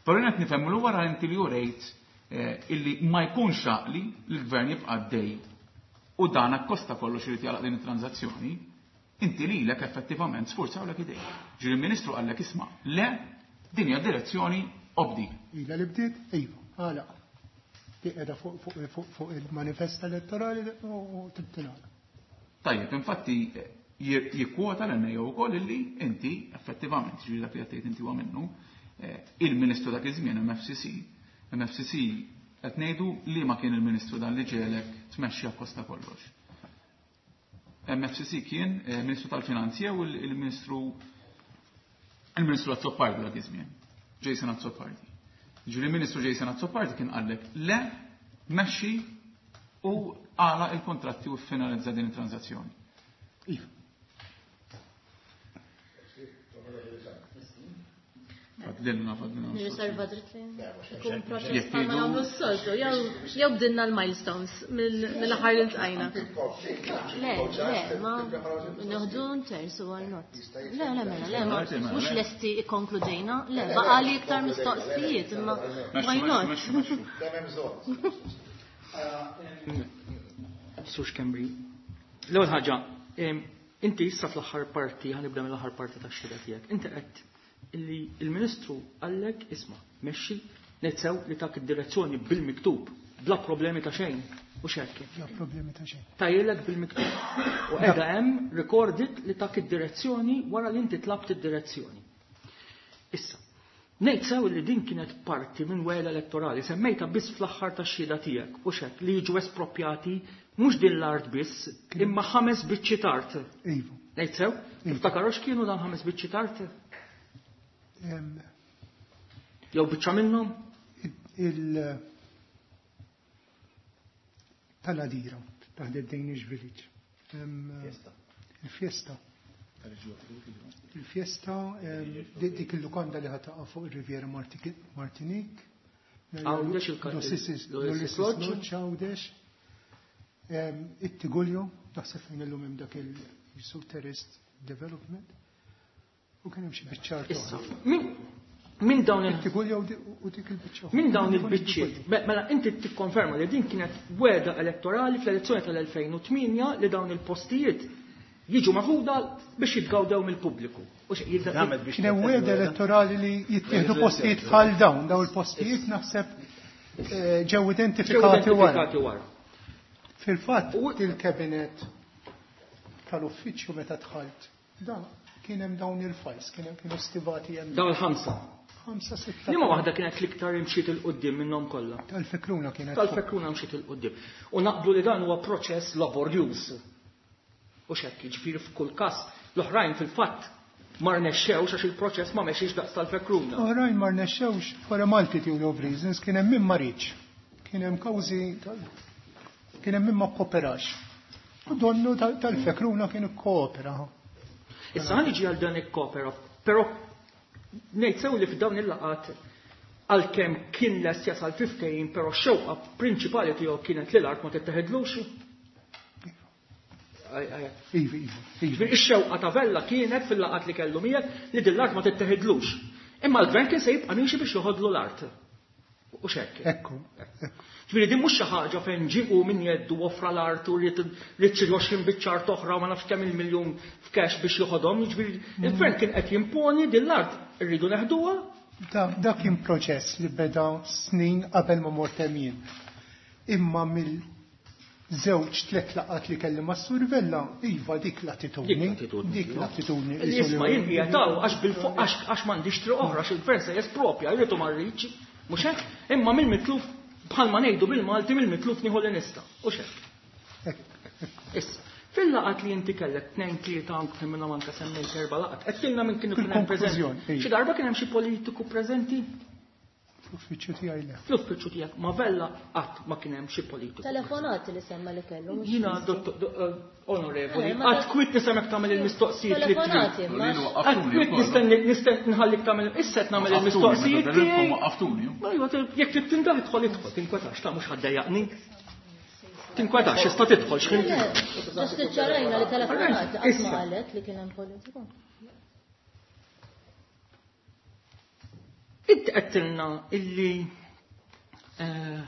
Però jien qed nifhem li wara inti li urejt illi ma jkunx għaqli li l-gvern jibqa' għaddej u dan akkosta kollox irid jagħlaq din it-tranżazzjoni, inti lilek effettivament sfurzawlek idejk. Ġifieri il-Ministru qallek isma' le din hija direzzjoni obdi. Ila li bdiet, iva, għalaq. Di qiegħda fuq il-manifest elettorali u tibtilgħala. Tajjeb, infatti jikkwota l-N A O wkoll illi inti effettivament, ġifieri dak li qed tgħid inti huwa minnu, il-Ministru dak iż-żmien M F C C, M F C C qed ngħidu li ma kien il-Ministru dan li ġiegħlek tmexxi akkosta kollox. M F C C kien Ministru tal-Finanzi u il-Ministru il-Ministru Azzopardi dak iż-żmien, Jason Azzopardi. Ġifieri il-Ministru Jason Azzopardi kien qallek le, mexxi u għalaq il-kontratti u finalizza din it-tranżazzjoni. Iva. Fadlilna, fadlilna. Nirriserva dritt li ikun proċess bħalma nagħmlu s-soltu, jew bdilna l-milestones mill-aħħar li ltqajna. Le, le, ma nieħdu terzu, why not? Le, le, mela, le, ma mhux lesti ikkonkludejna, le, baqa' li iktar mistoqsijiet, imma why not? Sur Schembri, l-ewwel ħaġa, inti issa fl-aħħar parti, ħa nibda mill-aħħar parti tax-xhieda tiegħek. Inti qed illi il-Ministru qallek isma' mexxi nitsew li tak id-direzzjoni bil-miktub, bla problemi ta' xejn, u xekk. Bla problemi ta' xejn. Tajjilek bil-miktub. U qiegħda hemm recorded li tak id-direzzjoni wara li inti tlabt id-direzzjoni. Issa, ngħid sew li din kienet parti minn wegħda elettorali, semmejta biss fl-aħħar tax-xhieda tiegħek, u xekk li jiġu espropjati mhux din l-art biss, imma ħames biċċiet art. Iva. Ngħid sew? Tiftakar x'kienu dan ħames biċċiet art? Jew biċċa minnhom? Il tal-Għadira, taħt Danish Village. Il-Fiesta. Il-Fiesta, dik il-lukanda li ħa taqa' fuq il-Riviera Martinique. Għawdex il-Lodge, Għawdex. It-Tiguljo, naħseb fejn illum hemm dak il-Terraced Development. U kien hemm xi biċċa art. Issa, min dawn il Tiguljo u dik il-biċċa. Min dawn il-biċċiet? Mela inti tikkonferma li din kienet wegħda elettorali fl-elezzjoni tal-elfejn u tmienja li dawn il-postijiet jiġu maħuda biex jitgawdew mill-pubbliku. Kien wegħda elettorali li jittieħdu postijiet bħal dawn, dawn il-postijiet naħseb ġew identifikati wara. Fil-fatt il-kabinet tal-uffiċċju meta dħalt, da kien hemm dawn il-files, kien hemm kienu stivati hemm. Dawn il-ħamsa. Ħamsa, sitta. Liema waħda kienet l-iktar imxiet il-qudiem minnhom kollha? Tal-Fekruna kienet. Tal-Fekruna mxiet il-qudiem. U naqblu li dan huwa proċess laborjuż. U xekk, jiġifieri f'kull każ l-oħrajn fil-fatt ma rnexxewx għax il-proċess ma mexiex daqs tal-Fekruna. Oħrajn ma rnexxewx for a multitude of reasons, kien hemm min ma riedx. Kien hemm kawżi kien hemm min ma kkooperax. U donnu tal-Fekruna kien ikkoopera. Issa ħa niġi għal dan ikkopera, però ngħid sew li f'dawn il-laqgħat għalkemm kien lest jasal fi ftehim, però x-xewqa prinċipali tiegħu kienet li l-art ma titteħidlux. Iva, iva, iva. Ix-xewqa ta' Vella kienet fil-laqgħat li kellu miegħek li din l-art ma titteħidlux. Imma l-gvern kien se jibqa' miexi biex joħodlu l-art. U xekk. Ekku, ekku. Ġifieri din mhux xi ħaġa fejn ġie minn jeddu offra l-art u ried xi għoxrin biċċa art oħra ma nafx kemm il-miljun f'cash biex joħodhom. Ġifieri il-gvern kien qed jimponi din l-art irridu neħduha. Da kien proċess li beda snin qabel ma mort hemm jien. Imma mill żewġ tliet laqgħat li kelli ma' Sur Vella, iva dik l-attitudni. Dik l-attitudni. Li jisma' jien qiegħed hawn għax bil-fuq għax m'għandix triq oħra għax il-gvern se jespropja, jrid u ma rridx. Mhux hekk? Imma mill-mitluf bħalma ngħidu bil-Malti mill-mitluf nieħu li nista'. U x'hekk? Issa, fil-laqgħat li inti kellek tnejn tlieta anke minnhom anke semmejt erba' laqgħat, qed tilna minn kienu kien hemm preżenti. Xi darba kien hemm xi politiku preżenti? Fl-uffiċċju tiegħi le. Fl-uffiċċju tiegħek ma Vella qatt ma kien hemm xi politiku. Telefonati li semma li kellu. mhux Jiena fiżi. dottor eh, onorevoli, Eh, ma qatt kwit nisemek tagħmel il-mistoqsijiet li trid. Telefonati, ma. Lili Qatt waqqaftuni kwit wkoll. nistenni nisten nħallik tagħmel issa qed nagħmel il-mistoqsijiet tiegħi. Waqqaftuni. Ma iva, jekk trid tindaħ idħol idħol, tinkwetax, ta' mhux ħaddejjaqni. Tinkwetax, issa tidħol x'ħin. Le, Just iċċarajna li telefonati qatt ma Issa. qalet li kien hemm politiku. Inti qedtilna illi eh,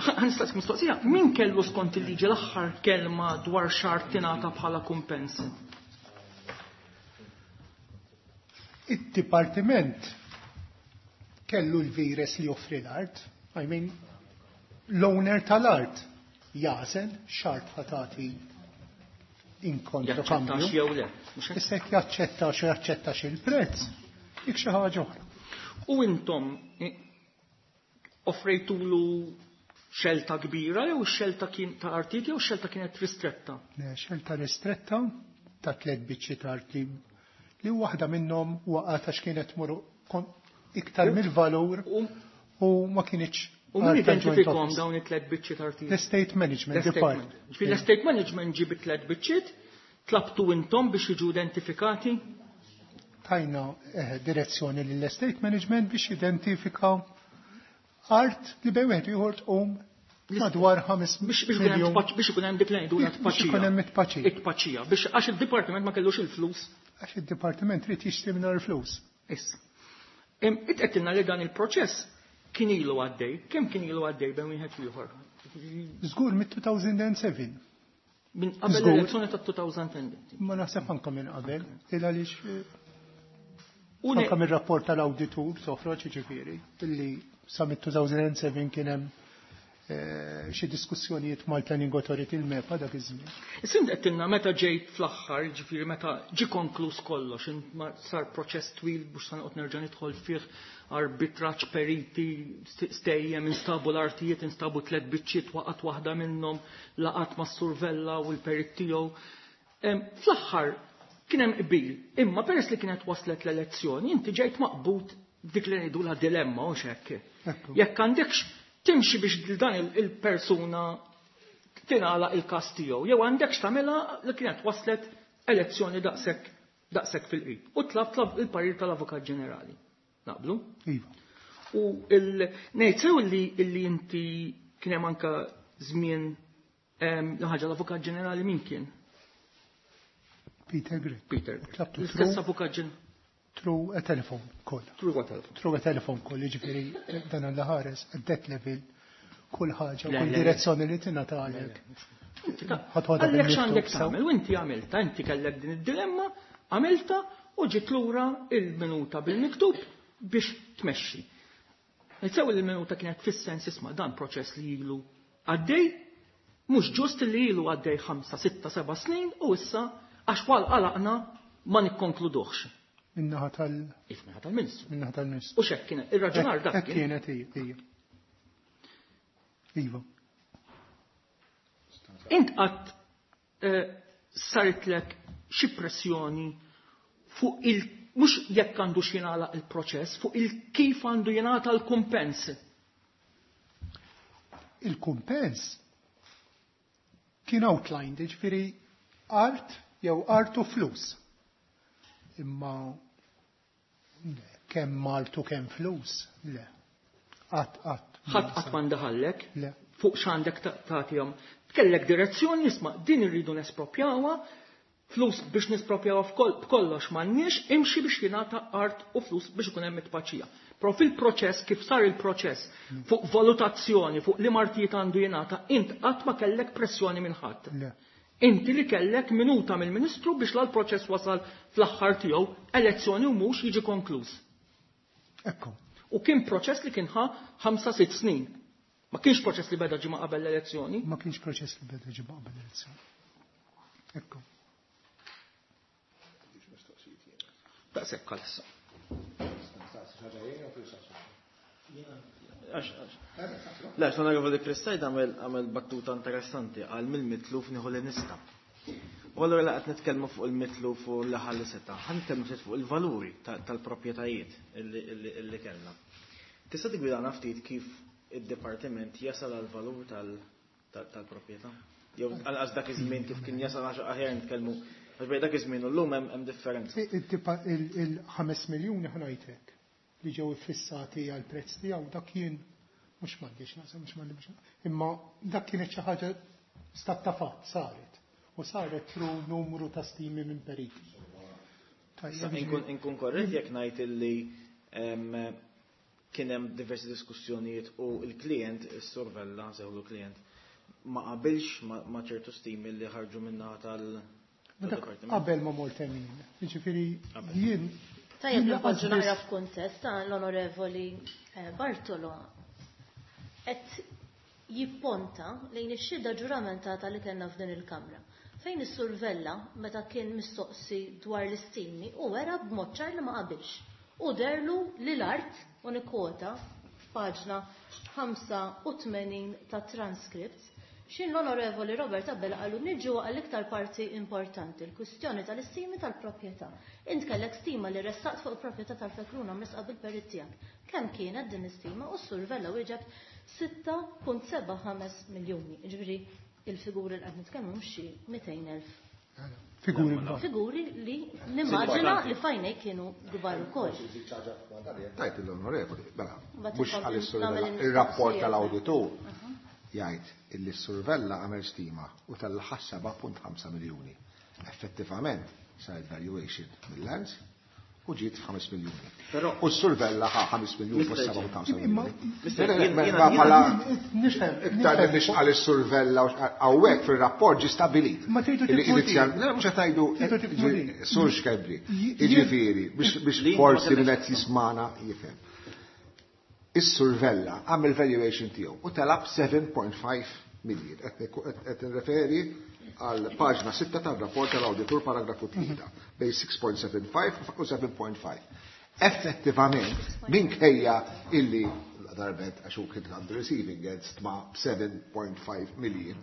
ħa nistaqsik mistoqsija, min kellu skont il-liġi l-aħħar kelma dwar xar tingħata bħala kumpens? Id-dipartiment kellu l-vires li joffri l-art, I mean, l-owner tal-art jażel xart ħatati in Jaċċettax kontra jew le. Mhux hekk? Issa jekk jaċċettax u jaċċettax il-prezz, dik xi ħaġa oħra. U intom eh, offrejtulu xelta kbira jew xelta kien ta' artijiet jew xelta kienet ristretta? Le, Xelta ristretta ta' tliet biċċiet art li li waħda minnhom waqgħet għax kienet tmur kon- iktar mill-valur U u ma kienx u min art ta' joint identifikhom office. dawn it-tliet biċċiet artijiet? L-estate management L-estate department. management. Ġifieri l-estate management ġib it-tliet biċċiet, tlabtu intom biex jiġu identifikati? Tajna eh, direzzjoni lill-estate management biex identifika art li bej wieħed ieħor tqum madwar ħames Biex biex ikun hemm miljun tpaċ- biex ikun hemm dik li ngħidulha Biex tpaċija. ikun hemm it-tpaċija. It-tpaċija. Biex għax id-dipartiment ma kellux il-flus. Għax id-dipartiment trid jixtri mingħajr flus. Issa. Em, Itqedtilna li dan il-proċess kien ilu għaddej. Kemm kien ilu għaddej bejn wieħed u ieħor? Żgur mit-two thousand and seven. Minn qabel Żgur. l-elezzjoni ta' two thousand and ten. Ma naħseb anka minn qabel, il għaliex eh, U ne- anka mir-rapport tal-awditur toħroġ jiġifieri illi sa mit-two thousand and seven kien hemm eh, xi diskussjonijiet mal-Planning Authority, il-MEPA dak iż-żmien. Issa qedtilna meta ġejt fl-aħħar, ġifieri meta ġi konkluż kollox, in- ma sar proċess twil biex sa noqgħod nerġa' nidħol fih, arbitraġġ, periti, st- stejjem, instabu l-artijiet, instabu tliet biċċiet, waqgħet waħda minnhom, laqat ma' survella u l-perit tiegħu. Em, Fl-aħħar kien hemm qbil, imma peress li kienet waslet l-elezzjoni, inti ġejt maqbud dik li ngħidulha dilemma u hekk. Ekku. Jekk għandekx timxi biex dan il- il-persuna tingħalaq il-każ tiegħu, jew għandek x'tagħmilha li kienet waslet elezzjoni daqshekk daqshekk fil-qrib. U tlab tlab il-parir tal-Avukat Ġenerali. Naqblu? Iva. U il ngħid sew li illi inti kien hemm anke żmien em, ħaġa l-Avukat Ġenerali min kien? Peter Grech. Peter. Tlabtu L-istess through Avukat Ġenerali. through a telephone call. Through what telephone? Through a telephone call, jiġifieri dan l-ħares at that level kull ħaġa, Le, kull le, le. direzzjoni li tingħatalek. Ħatħodha Għallek x'għandek bil-miktub, sew. tagħmel, u inti għamilta, inti kellek din id-dilemma, għamilta u ġiet lura il-minuta bil-miktub biex tmexxi. Nitsew il-minuta kienet fis-sens isma' dan proċess li ilu għaddej, mhux ġust li ilu għaddej ħamsa, sitta, seba' snin u issa għax wal qalaqna ma nikkonkluduhx. Min-naħa tal If naħa tal-Ministru. Min-naħa tal-Ministru. U x'hekk kien ir-raġunar dak Hekk kien. kienet hija. Iva. Int qatt eh, saritlek xi pressjoni fuq il mhux jekk għandu jingħalaq il-proċess, fuq il-kif għandu jingħata l-kumpens. Il-kumpens kien outlined, ġifieri art jew art u flus. Imma le, kemm art u kemm flus, le. Qatt qatt. Ħadd qatt ma ndaħallek Le. Fuq x'għandek ta- tagħtihom. Kellek direzzjoni, isma' din irridu nespropjawha, flus biex nespropjawha f'kol- b'kollox m'għandniex, imxi biex jingħata art u flus biex ikun hemm it-tpaċija. Però fil-proċess, kif sar il-proċess, fuq valutazzjoni, fuq li martijiet għandu jingħata, int qatt ma kellek pressjoni minn ħadd. Le. Inti li kellek minuta mill-Ministru biex l-proċess wasal fl-aħħar tiegħu, elezzjoni u mhux jiġi konkluż. Ekku. U kien proċess li kien ħa ħamsa sitt snin. Ma kienx proċess li beda ġimgħa qabel l-elezzjoni. Ma kienx proċess li beda ġimgħa qabel l-elezzjoni. Ekku. Daqshekk għalissa. Le, l-Onorevoli Chris Said għamel għamel battuta interessanti għal mill-mitluf nieħu li nista. U allura la qed nitkellmu fuq il-mitluf u l-ħalli seta', ħa nitkellmu ftit fuq il-valuri ta- tal-proprjetajiet illi illi- illi kellna. Tista' tigwidana ftit kif id-dipartiment jasal għal valur tal-proprjetà? Jew għal dak iż-żmien kif kien jasal għax aħjar nitkellmu għax bejn dak iż-żmien u llum hemm differenza. Il-ħames miljuni ħnajtek li ġew iffissati għal prezz tiegħu dak kien mhux m'għandix naqsam mhux m'għandix imma dak kienet xi ħaġa stat ta' fatt saret u saret through numru ta' stimi minn periti. Inkun korrett jekk ngħid illi kien hemm diversi diskussjonijiet u l-klient, is-Sur Vella, nsejħulu klient, ma qabilx ma' ċertu stimi li ħarġu minnaħa tal-dipartiment. Qabel ma mort hemm jien. Jiġifieri jien Tajjeb li npoġġu naqra f'kuntest l-Onorevoli Bartolo qed jipponta lejn ix-xhieda ġuramentata li kellna f'din il-Kamra. Fejn is-Sur Vella meta kien mistoqsi dwar l-istimi u wera b'mod ċar li ma qabilx. U derlu li l-art, u nikkwota f'paġna ħamsa u tmenin ta' transcripts, xin l-Onorevoli Robert Abela qalu niġu għall-iktar parti importanti, l-kwistjoni tal-istimi tal-proprjetà. Int kellek stima li ressaqt fuq il-proprjetà tal-Fekruna mresqa bil-perit tiegħek. Kemm kienet din l-istima? U s-Sur Vella wieġeb sitta punt seba' ħames miljuni. Jiġifieri il-figuri li qed nitkellmu mhux xi mitejn elf. Figuri kbar. Figuri li nimmaġina li fajnej kienu kbar ukoll. Tajt l-onorevoli, mela, mhux għal-Sur Vella, ir-rapport tal-awditur jgħid illi s-Sur Vella għamel stima u tal-ħa seba' punt ħamsa miljuni. Effettivament saret valuation mill-lands u ġiet f'ħames miljuni. Però U s-Sur Vella ħa ħames miljuni fuq seba' punt ħamsa miljuni. Mister, Le, le, jien- ma- jiena- ma jiena- bħala Nifhem, iktar nifhem. biex għal is-Sur Vella u hawnhekk fir-rapport ġi stabilit. Ma tridu Illi tifhmu inizjal- din. Le, mhux qed ngħidu, Tridu tifhmu eh, din. Sur Schembri, J- jiġifieri, biex, biex Li- forsi ma min kellekx qed jismana jifhem. Is-Sur Vella għamel valuation tiegħu u talab seven point five million. Qed nirreferi għal paġna sitta tar-rapport tal-awditur paragrafu tlieta bejn six point seven five u seven point five. Effettivament, minkejja illi darbet għax hu kien għandu receiving end stma seven point five million,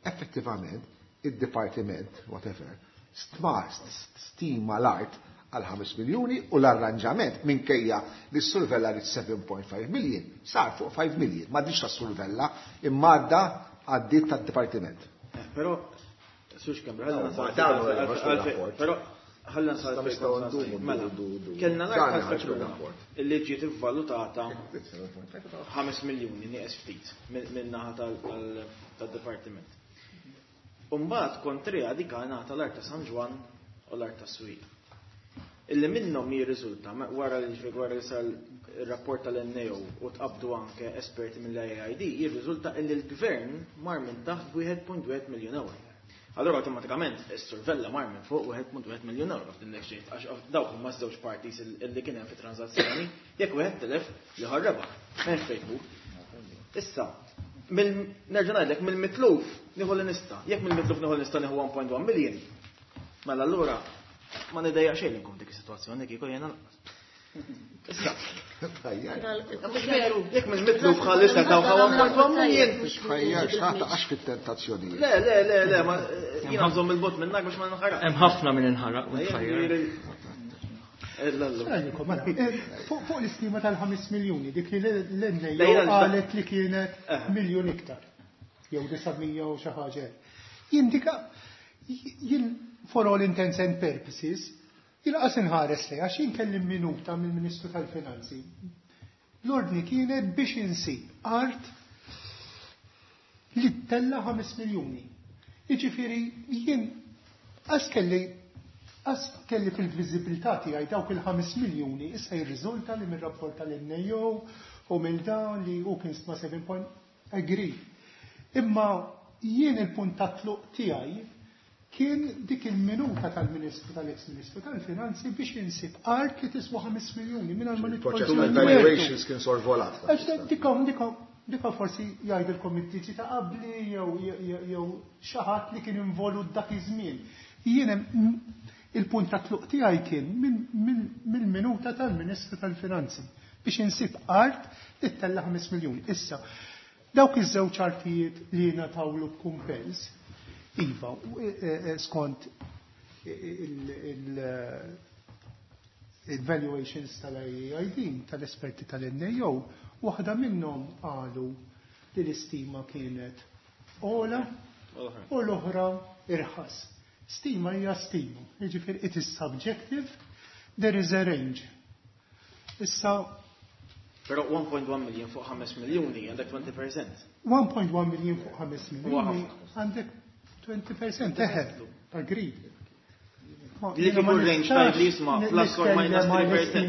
effettivament id-dipartiment, whatever, stma stima l-art għal ħames miljuni u l-arranġament minkejja li s-Sur Vella rid seven point five million sar fuq five million. Ma diċ tas-Sur Vella imma għadda għaddiet tad-dipartiment. Eh, però, Sur Schembri, ħalla No, nasal ma dan għal- huwa għal- il-rapport. għal- però ħalla nasal Nistgħu fejn kont ndumu, nasal. Mela, ndumu, ndumu. kellna Dan l-art ħarġu tal-Fekruna rapport. illi ġiet ivvalutata ħames miljuni nieqes ftit minn naħa tal-, tal-, tad-dipartiment. U mbagħad kontrija dik ngħata l-art ta' San Ġwann u l-art ta' Swieq. Illi minnhom jirriżulta ma-, wara li ġifieri wara li sar ir-rapport tal-N A O u tqabdu anke esperti mill-A I D, jirriżulta illi l-gvern mar minn taħt wieħed punt wieħed miljun euro. Allora awtomatikament is-Sur Vella mar minn fuq wieħed punt wieħed miljun euro f'din l-exchange, għax dawk huma żewġ parties il-, illi kien hemm fit-transazzjoni, jekk wieħed tilef ieħor rebaħ. M'hemmx fejn tmur. Issa, mill-, nerġa' ngħidlek mill-mitluf nieħu li nista'. Jekk mill-mitluf nieħu li nista' nieħu one point one million, mela allura ma nidejjaq xejn li nkun f'dik is-sitwazzjoni kieku jiena lanqas. Issa. Mhux veru, jekk mill-mitluf bħalissa taw one point one million. Tħajjar, x'ħadd għax fit-tentazzjonijiet. Le, le, le, le, ma jiena nżomm il-bot minnak biex ma nħaraq. Hemm ħafna min inħaraq u tħajjar. Għallikom, mela, eh, fuq, fuq l-istima tal-ħames miljuni, dik li l-N A O Lejna l-sta- qalet li kienet Eh. miljun iktar, jew disa' mija u xi ħaġa. Jindika, jien for all intents and purposes, jilqas inħares lejha, għax jien kelli minuta mill-Ministru tal-Finanzi. L-ordni kienet biex insib art li tella ħames miljuni. Jiġifieri jien għas kelli għas kelli fil-viżibilità tiegħi dawk il-ħames miljuni, issa jirriżulta li mir-rapport tal-N A O u mill dan li hu kien stma seven point agree. Imma jien il-punt ta' tluq tiegħi kien dik il-minuta tal-Ministru tal-ex-Ministru tal-Finanzi biex insib art li tiswa ħames miljuni mingħajr ma nidħol Il-proċess fil-mertu. tal-valuations kien sorvolat. Għax dikom, dikom, dikom forsi jgħidilkom id-diġi ta' qabli jew, jew, jew xi ħadd li kien involut dak iż-żmien. Jien hemm il-punt ta' tluq tiegħi kien minn, minn, mill-minuta tal-Ministru tal-Finanzi biex insib art li tella ħames miljuni. Issa, dawk iż-żewġ artijiet li ngħatawlu b'kumpens, iva, u, e, e, skont il-, il, Il-valuations tal-I A I D, tal-esperti tal-N A O, waħda minnhom qalu li l-istima kienet ogħla u l-oħra irħas. Stima hija stima, jiġifieri it is subjective, there is a range. Issa Però one point one million fuq five miljoni għandek twenty percent. one point one million fuq five miljoni għandek twenty percent, eħe, agreed. Li kieku range tajt li jisma' plus or minus three percent.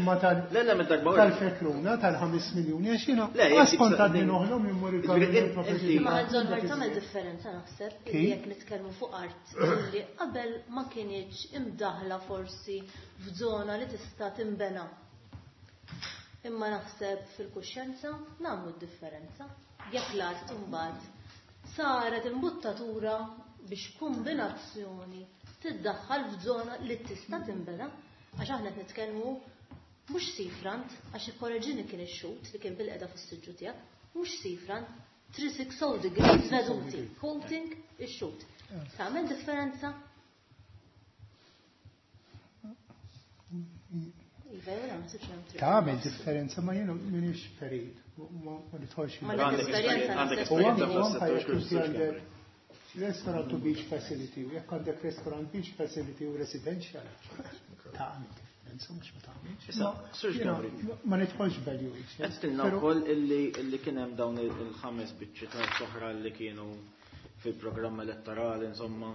Le, le, minn darba. Tal-fekruna tal-ħames miljoni, għax jiena kont għadni noħlom immur il. Ma għadżon tagħmel differenza naħseb li jekk nitkellmu fuq art li qabel ma kinitx imdaħla forsi f'żona li tista' timbena. Imma naħseb fil-kuxjenza nagħmlu d-differenza. Jekk l-art imbagħad saret imbuttatura biex kombinazzjoni tiddaħħal f'żona li tista' tinbena, għax aħna qed nitkellmu mhux seafront, għax ikkoreġini kien ix-xhud li kien bilqiegħda fis-siġġu tiegħek, mhux seafront, three sixty degrees veduti, quoting ix-xhud. Tagħmel differenza? Tagħmel differenza, ma jiena m'iniex perit, ma nidħolx. Ma l-esperjenza. Restaurant to beach facility, u jekk għandek restaurant beach facility u residential, tagħmel differenza, mhux ma tagħmilx. Ma nidħolx valuation. Għedtilna wkoll illi kien hemm dawn il-ħames biċċi ta' oħra li kienu fil-programm elettorali, insomma.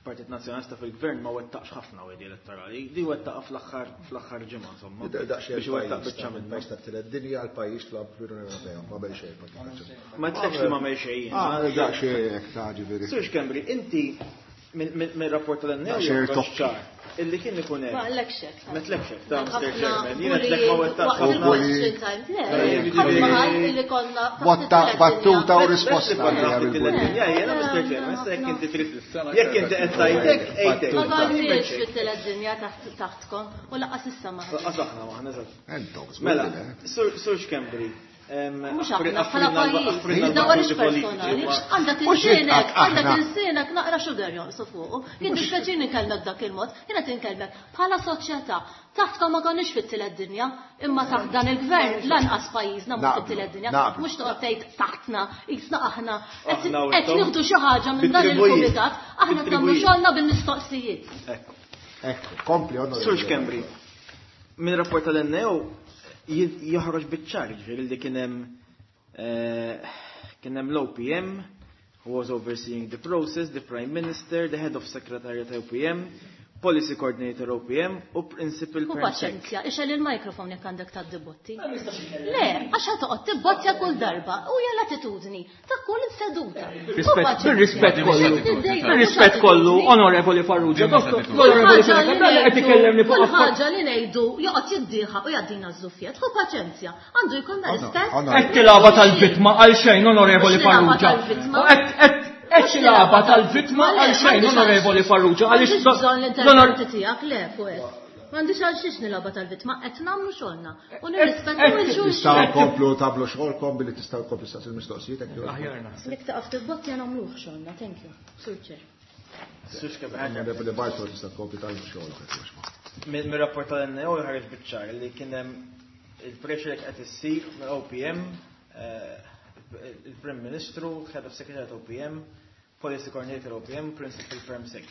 Partit Nazzjonalista fil-Gvern ma wettaqx ħafna wegħdi elettorali, di wettaqa fl-aħħar fl-aħħar ġimgħa, insomma. Biex wettaq biċċa minn pajjiż tat-tielet dinja għal pajjiż fl-Unjoni Ewropea, ma bel xejn. Ma tlekx li ma mel xejn. Ah, daqsxejn hekk ta' ġifieri. Sur Schembri, inti mill-rapport tal-N A O ċar illi kien ikun hemm. Ma għallek xek. Ma tlekx hekk ta' Mister Chairman, jiena tlek ma wettaqx ħafna. Illi konna Battuta u risposta. Jiena Mister Chairman, issa jekk inti trid jekk inti qed tgħidek, ejtek. Ma konniex fit-tielet dinja taħtkom u lanqas issa ma. Lanqas aħna maħna eżatt. Mela, Sur Schembri, Mhux aħna bħala pajjiż, dawar personali, għandek ilsienek, għandek ilsienek naqra sugar jonqsu fuqu. Jien dispjaċini nkellmek dak il-mod, jiena tinkellmek bħala soċjetà. Taħtkom ma konniex fit-tielet dinja, imma taħt dan il-gvern lanqas pajjiżna mhux fit-tielet dinja, mhux toqgħod tgħid taħtna, qisna aħna qed nieħdu xi ħaġa minn dan il-kumitat, aħna qed nagħmlu xogħolna bil-mistoqsijiet. Ekku, kompli. Sur Schembri, minn rapport tal-N A O joħroġ biċ-ċar ġifieri li kien hemm kien hemm l-O P M who was overseeing the process, the Prime Minister, the Head of Secretariat O P M, Policy Coordinator O P M u Principal. Hu paċenzja, ixgħel il-mikrofon jekk għandek ta' dibotti. Le, għax ħa toqgħod tibbottja kull darba u hija l-attitudni ta' kull seduta. Bir-rispett kollu. Bir-rispett kollu, Onorevoli Farrugia, l-Onorevoli Farrugia qed ikellemni fuq ħaġa li ngħidu joqgħod jiddieħa u jgħaddina ż-żuffiet. Hu paċenzja, għandu jkollna rispett. Qed tilgħaba tal-vittma għal xejn, Onorevoli Farrugia. Qed qed tilgħaba tal-vittma għal xejn, Onorevoli Farrugia, għaliex bżonn l-interventi tiegħek le fuq hekk. M'għandix għal xiex nilgħaba tal-vittma, qed nagħmlu xogħolna u nirrispettaw il-xulxin. Tistgħu nkomplu tagħmlu xogħolkom billi tistgħu nkomplu staqsi il-mistoqsijiet hekk. Jekk taqaf tibbottja nagħmluh xogħolna, thank you. Sur Chair. Onorevoli Bartolo, tista' tkompli tagħmlu xogħolok. Mir-rapport tal-N A O ħareġ biċ-ċar li kien hemm il-pressure qed issir mill-O P M, il-Prim Ministru, Head of Secretariat O P M, Policy Coordinator O P M, Principal Perm Sec.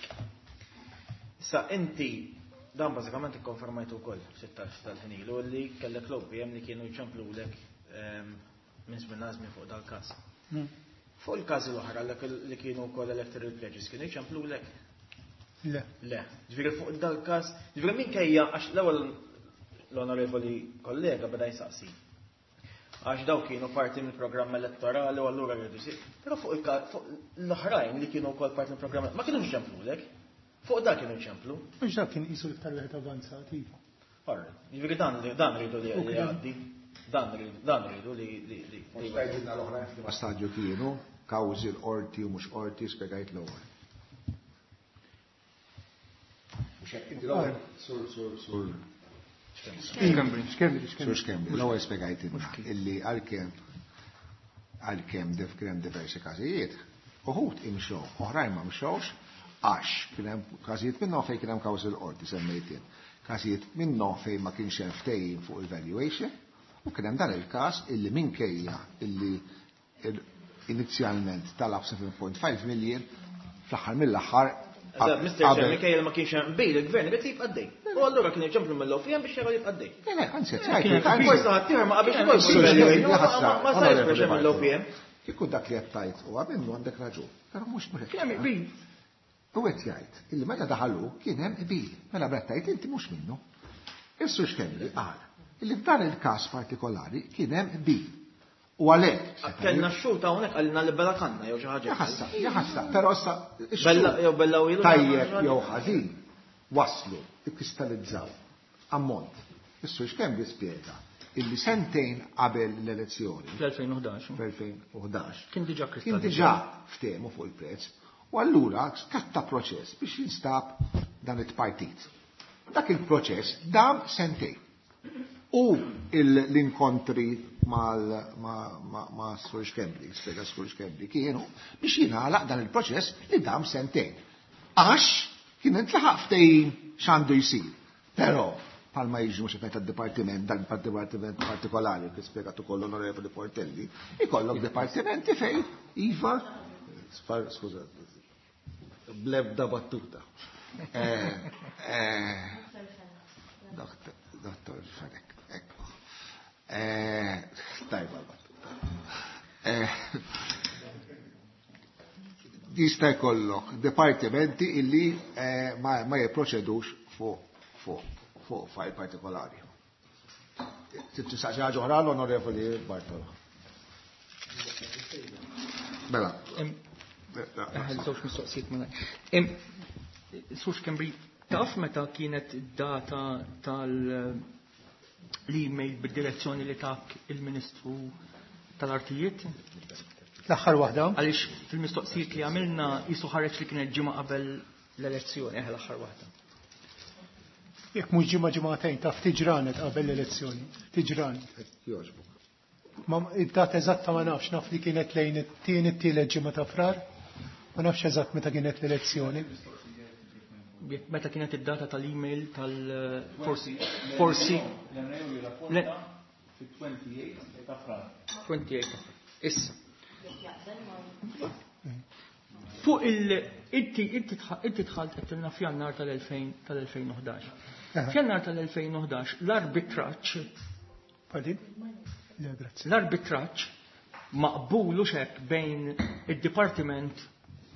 Issa inti dan bażikament ikkonfermajtu wkoll sittax tal-ħin ilu li kellek l-O P M li kienu jċemplulek minn żmien żmien fuq dal-każ. Fuq il-każi l-oħra li kienu wkoll electoral pledges kienu jċemplulek? Le. Le. Ġifieri fuq dal-każ, ġifieri minkejja għax l-ewwel l-onorevoli kollega beda jsaqsi. Għax daw kienu parti mill-programm elettorali u allura rridu jsir. Però fuq l-oħrajn li kienu wkoll parti mill-programm ma kienu jċemplulek. Fuq dak kienu jċemplu. Mhux dak kien qisu l-iktar wieħed avanzat, iva. Alright. Ġifieri dan dan rridu li jgħaddi. Dan rridu dan rridu li li li. Spjegajtilna l-oħrajn f'liema stadju kienu, kawżi l-qorti u mhux qorti, spjegajt l-ewwel. Mhux hekk inti l-ewwel, sur sur sur Schembri, Schembri. Sur Schembri, l-ewwel spjegajtilna illi għalkemm għalkemm kien diversi każijiet, uħud imxew, oħrajn ma mxewx, Għax kien hemm każijiet minnhom fejn kien hemm kawżi l-qorti semmejtien. Każijiet minnhom fejn ma kienx hemm ftehim fuq il-valuation u kien hemm dan il-każ illi minkejja illi inizjalment talab seba' punt ħamsa million fl-aħħar mill-aħħar Mister Chair, minkejja li ma kienx hemm qbil, il-gvern irid jibqa' għaddej. U allura kien iġemplu mill-O P M biex jara jibqa' għaddej. Le, le, anzi, qed Forsi ħadd ieħor ma qabilx ukoll. Ma sarx pressure mill-O P M. Kieku dak li qed tgħid huwa minnu għandek raġun, però mhux mhux Kien hemm qbil. U qed jgħid illi meta daħalu kien hemm qbil. Mela bret tgħid inti mhux minnu. Is-Sur Schembri qal illi f'dan il-każ partikolari kien hemm qbil. U għalhekk Kellna x-xhur hawnhekk qalilna li bella kanna jew xi ħaġa. Jaħassa, jaħassa, però issa Bella jew bella u ilu. Tajjeb jew ħażin waslu, ikkristallizzaw ammont. Is-Sur Schembri spjega illi sentejn qabel l-elezzjoni. Fl-elfejn u ħdax. Fl-elfejn u ħdax. Kien diġà Kien kristallizzaw. diġà ftehmu fuq il-prezz. U allura skatta proċess biex jinstab dan it-partit. Dak il-proċess dam sentejn. U l-inkontri ma' Sur Schembri, spjega Sur Schembri, kienu biex jingħalaq dan il-proċess li dam sentejn. Għax kien intlaħaq ftehim x'għandu jsir. Però palma jiġu mhux qed tad-dipartiment, dan dipartiment partikolari kif spjegat ukoll l-Onorevoli Portelli, ikollok dipartimenti fejn iva, skuża, blebda battuta. Eh, eh, Dottor Fenech, ekku. Eh, tajba battuta. Eh, jista' jkollok dipartimenti illi, eh, ma, ma jipproċedux fuq, fuq, fuq fajl partikolari. Tistaqsi ħaġa oħra l-Onorevoli Bartolo. Mela. Żewġ mistoqsijiet mela. Sur Schembri, taf meta kienet data tal-email bid-direzzjoni li tak il-Ministru tal-Artijiet? L-aħħar waħda. Għaliex fil-mistoqsijiet li għamilna jisu ħareġ li kienet ġimgħa qabel l-elezzjoni, eh, l-aħħar waħda. Jekk mhux ġimgħa ġimgħatejn taf tiġranet qabel l-elezzjoni, tiġranet. Jogħġbok. Ma id-data eżatta ma nafx, naf li kienet lejn it-tieni t-tielet ġimgħa ta' Frar, ma nafx eżatt meta kienet l-elezzjoni. Meta kienet id-data tal-email tal- forsi, forsi. L-N A U fit-twenty-eight ta' Frar. twenty-eight ta' Frar. Issa. Fuq il-, inti, inti tħ-, inti dħalt qed tilna f'Jannar tal-elfejn, tal-elfejn u ħdax. Aha. F'Jannar tal-elfejn u ħdax l-arbitraġġ Pardon? Le, grazie. L-arbitraġġ maqbul u xek bejn id-dipartiment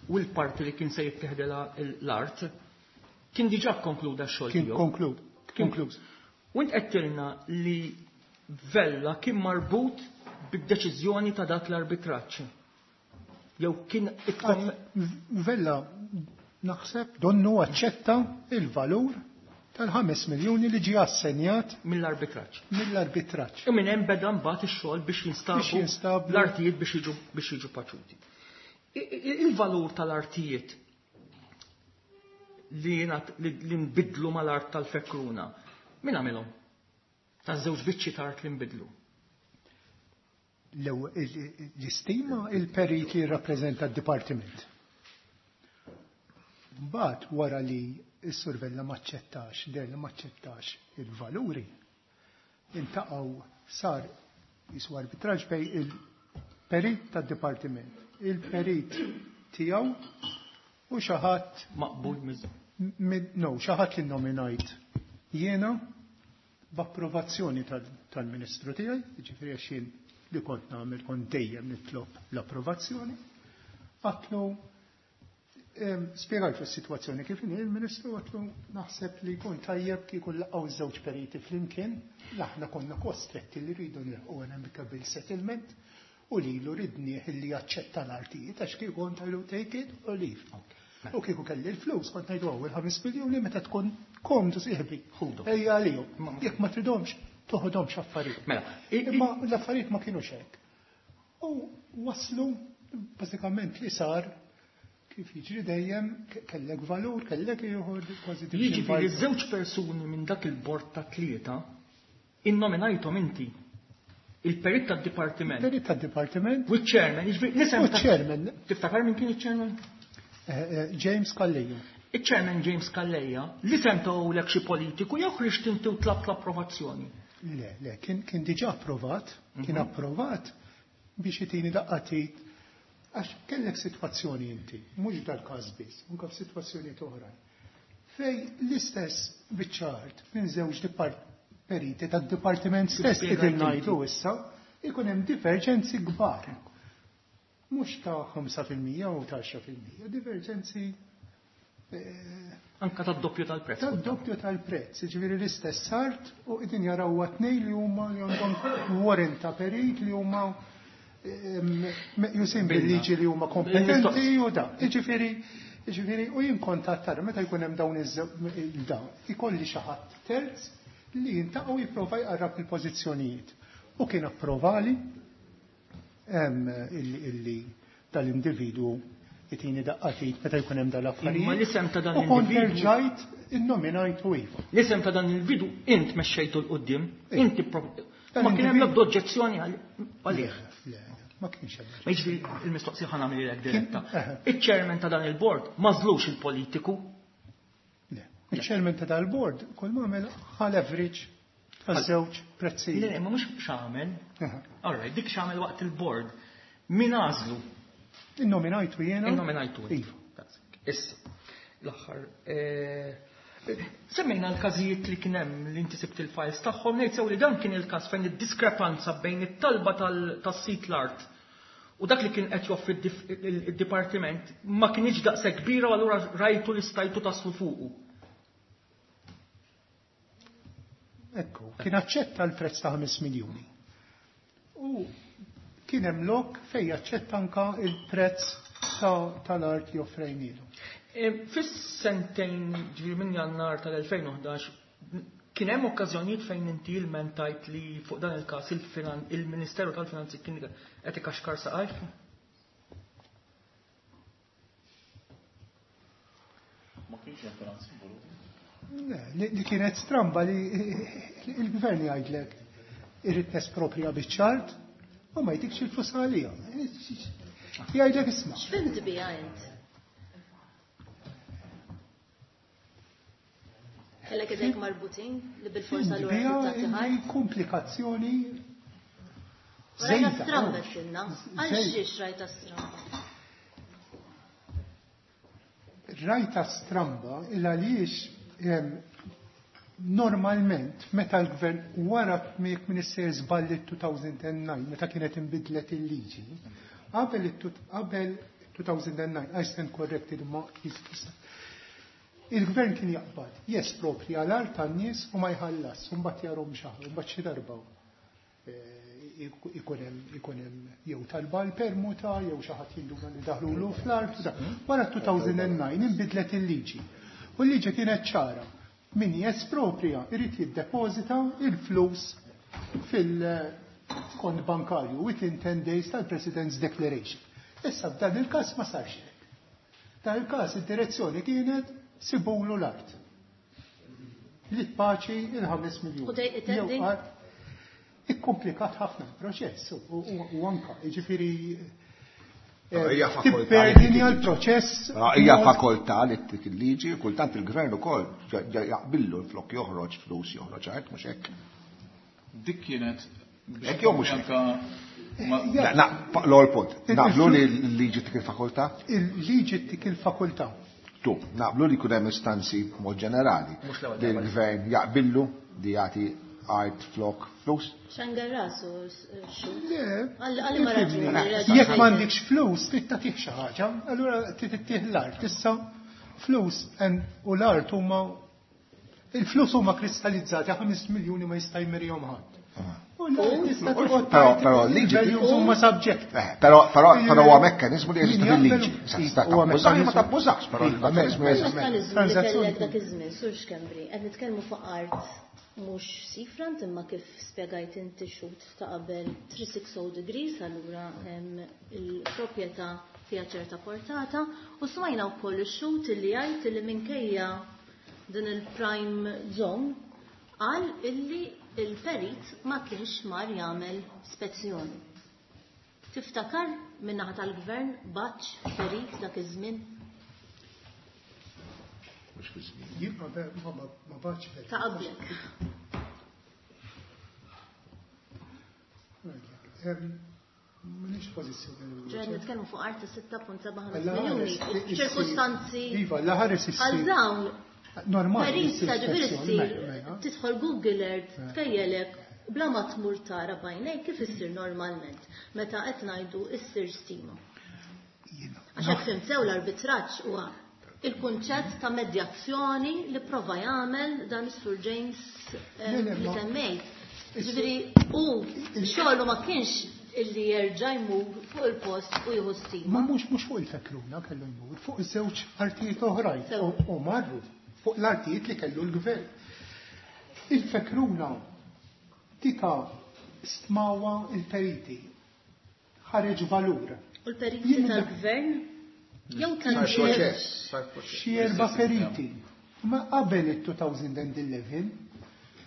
u l-parti li kien se jittieħdilha l-art kien diġà konkluda x-xogħol Kien tiegħu. konklud, Kien konkluż. U int qed tilna li Vella kien marbut bid-deċiżjoni ta' dak l-arbitraġġ. Jew kien ikkom- Vella naħseb donnu aċċetta il-valur tal-ħames miljuni li ġie assenjat mill-arbitraġġ. Mill-arbitraġġ. U minn hemm beda mbagħad ix-xogħol biex jinstabu Biex jinstabu l-artijiet biex jiġu, biex jiġu paċuti. I-, i-, il-valur tal-artijiet li jingħat, li, li nbidlu mal-art tal-Fekruna, min għamilhom? Taż-żewġ biċċi ta' art li nbidlu. L-ewwel, il-, il-, l-istima il-perit li jirrappreżenta d-dipartiment. Mbagħad wara li s-Sur Vella maċċettax, der li maċċettax il-valuri, intaqgħu sar jisu arbitraġġ bej il-perit tad-dipartiment, il-perit tiegħu u xi ħadd maqbul miż- mid-, no, xi ħadd li nominajt jiena b'approvazzjoni tal-, tal-Ministru tiegħi, jiġifieri għax jien li kont nagħmel kont dejjem nitlob l-approvazzjoni, għatlu, em, spjegajtu s-sitwazzjoni kif inhi il-Ministru, għatlu naħseb li jkun tajjeb kieku laqgħu żewġ periti flimkien, aħna konna kostretti li rridu nilħqu an amicable settlement u lilu ridnieh li jaċċetta l-artijiet għax kieku kont ngħidu take it or leave. U kieku kelli l-flus kont ngħidu ewwel ħames miljuni meta tkun komdu sieħbi. Ħudu. Ejja għalihom. Ma-, ma- Jekk ma tridhomx, toħodhomx affarijiet. Mela, i-, i- Imma l-affarijiet ma kienux hekk. U waslu bażikament li sar kif jiġri dejjem ke-, kellek valur, kellek ieħor kważi division Jiġifieri by żewġ persuni minn dak il-bord ta' tlieta innominajthom inti. Il-perit tad-dipartiment. Il-perit tad-dipartiment. U ċ-chairman, jiġifieri l-isem U ta' ċ-chairman. Tiftakar min kien iċ-chairman? James Calleja. Il-chairman James Calleja, li sentawlek xi politiku jew ħriġt inti u tlabt l-approvazzjoni? Le, le, kien, kien diġà approvat, kien mhm. approvat biex itini daqqatit għax kellek sitwazzjoni inti, mhux dal-każ biss, anke f'sitwazzjonijiet oħrajn. Fej l-istess biċċa art minn żewġ periti tad-dipartiment stess qegħdin ngħidu issa, ikun hemm diverġenzi kbar. Mhux ta' ħamsa fil-mija u ta' għaxra fil-mija, diverġenzi eh, Anka tad-doppju tal-prezz. Tad-doppju tal-prezz, jiġifieri l-istess art u qegħdin jaraw tnejn li huma li għandhom warrant ta' perit li huma meqjusin bil-liġi li huma kompetenti u da. Jiġifieri, jiġifieri u jien kontattar meta jkun hemm dawn iż-dawn, ikolli xi ħadd terz li jintaqgħu jipprova jqarrab il-pożizzjonijiet. U kien approvali illi tal-individwu jtini daqqatit meta jkun hemm dal-affarijiet. Imma l-isem ta' dan U kont l-individwu erġajt innominajtu iva. L-isem ta' dan l-individwu int mexxejtu l quddiem, Iva. inti pro- Dan ma kien hemm l-individwu- l-ebda oġġezzjoni għal- għalih. Le, le, ma kienx hemm. Ma jiġifieri il-mistoqsija ħa nagħmilek diretta. Eħe. Il-chairman ta' dan il-board mażlux il-politiku. Le. Il-chairman ta' dal-board kull ma għamel ħa leverage taż-żewġ prezzijiet. Le, ma mhux x'għamel. Eħe. All right, dik x'għamel waqt il-board. Min għażlu? Innominajtu jiena. Innominajtu. Iva. Issa, l-aħħar. Eh, semmejna l-każijiet li kien hemm li inti sibt il-files tagħhom, ngħid sew li dan kien il-każ fejn id-diskrepanza bejn it-talba tas-sit l-art u dak li kien qed joffri id-dipartiment ma kienx daqshekk kbira u allura rajtu li stajtu taslu fuqu. Ekku, kien aċċetta l-prezz ta' ħames miljuni. U kien hemm lok fejn jaċċetta anka il-prezz tal-art li offrejnilu. E, fis-sentejn ġifieri minn Jannar tal-elfejn u ħdax kien hemm okkażjonijiet fejn inti ilmentajt li fuq dan il-każ il-Ministeru tal-Finanzi kien qed ikaxkar saqajf? Ma kienx hemm finanzi involuti. Le, li kienet stramba li il-gvern jgħidlek irrid nesproprja biċ-ċart u ma jtikx il-flus għalija. Jgħidlek isma'. X'fimt biha int? Kellek idejk marbutin li bil-forsa Fimt l-ura biha tagħti illi ħart? komplikazzjoni Rajta żejda. stramba tilna. Għal Żejda. xiex rajta stramba? Rajta stramba il għaliex normalment meta l-gvern wara jekk min issejjer żballi two thousand and nine meta kienet inbidlet il-liġi, qabel qabel two thousand and nine, I stand corrected ma jista'. Il-gvern kien jaqbad, jesproprja l-art tan-nies u ma jħallas, u mbagħad jarhom xaħar, u mbagħad xi darba ikun hemm, ikun hemm jew talba l-permuta, jew xi ħadd jinduna li daħlulu fl-art. Wara two thousand and nine inbidlet il-liġi. U l-liġi kienet ċara. Min jesproprja irid jiddepożita il-flus fil-kont bankarju within ten days tal-President's Declaration. Issa f'dan il-każ ma sarx hekk. Dan il-każ id-direzzjoni kienet sibulu l-art. Li tpaċi il-ħames miljun. U dej Jew itendi? art ikkomplikat ħafna l-proċess u, u, u anka, jiġifieri, Però eh, hija fakoltà li tipperdini tik għal-proċess Però hija mod fakoltà li tik il-liġi, kultant il-gvern ukoll ġa-, ġa-, jaqbillu l-flok joħroġ flus joħroġ art, mhux hekk. Dik kienet biex Hekk jew mhux hekk? anka ma- Ja. Na, na, pa-, l-ewwel punt. Il- Naqblu li il- l-liġi tik il-fakoltà? Il-liġi tik il-fakoltà. Tu, naqblu li jkun hemm istanzi b'mod ġenerali Mhux l-ewwel li darba. l-gvern jaqbillu li jagħti art flok flus? Xangar rasu, xu? Le, Għal-, għal ma ifhimni. raġuni, raġuni. Jekk m'għandikx flus, trid tagħtih xi ħaġa, allura trid ittih l-art. Issa flus en-, u l-art huma il-flus huma kristallizzati, ħames miljuni ma jista' jmirihom ħadd. U l-art tista' toqgħod Però, tgħid però l-liġi il-values huma subject. Eh, però, però, Il- però huwa mekkaniżmu li jeżisti Min jaqbel fil-liġi. u- Sa tista' huwa tabbużax, ma mekkaniżmu. tabbużax, però Iva, il-mekkaniżmu mela, jeżisti. Mekkaniżmu li Transazzjoni. kellek dak iż-żmien, Sur Schembri, qed nitkellmu fuq art mhux seafront imma kif spjegajt inti xut ta' qabel three six oh degrees, allura hemm il-proprjetà fiha ċerta portata, u smajna wkoll ix-xut li jgħid li minkejja din il-prime zone qal illi il-perit ma kienx mar jagħmel spezzjoni. Tiftakar min-naħa tal-gvern baċ perit dak iż-żmien? mhux fi żmien. Jien ma ma ma bagħatx perit. Ta' qablek. M'inix pożizzjoni li Ġer nitkellmu fuq art ta' sitta punt seba' ħames Alla miljuni. ħares issir- Ċirkustanzi Iva, la ħares għal issir. dawn Normali. Perizza issir ġifieri spezzjoni, ssir mela, mela. tidħol Google Earth tkejjelek bla ma tmur tara bajnejk kif issir normalment meta qed ngħidu issir stima. Jiena. Għax hekk fhimt sew l-arbitraġġ huwa il-kunċett ta' medjazzjoni li prova jagħmel dan is-Sur James eh, Le, le, li ma- semmejt. Ġifieri hu xogħlu ma kienx illi jerġa' jmur fuq il-post u jieħu stima. Ma mhux mhux fuq il-fekruna kellu jmur, fuq iż-żewġ artijiet oħrajn Sew. u u marru fuq l-artijiet li kellu l-gvern. Il-fekruna tika stmawa il-periti, ħareġ valur. U l-periti Jien tal-gvern jew Sar tal-gvern proċess, sar proċess. Xi erba' periti. Ma qabel it-two thousand eleven,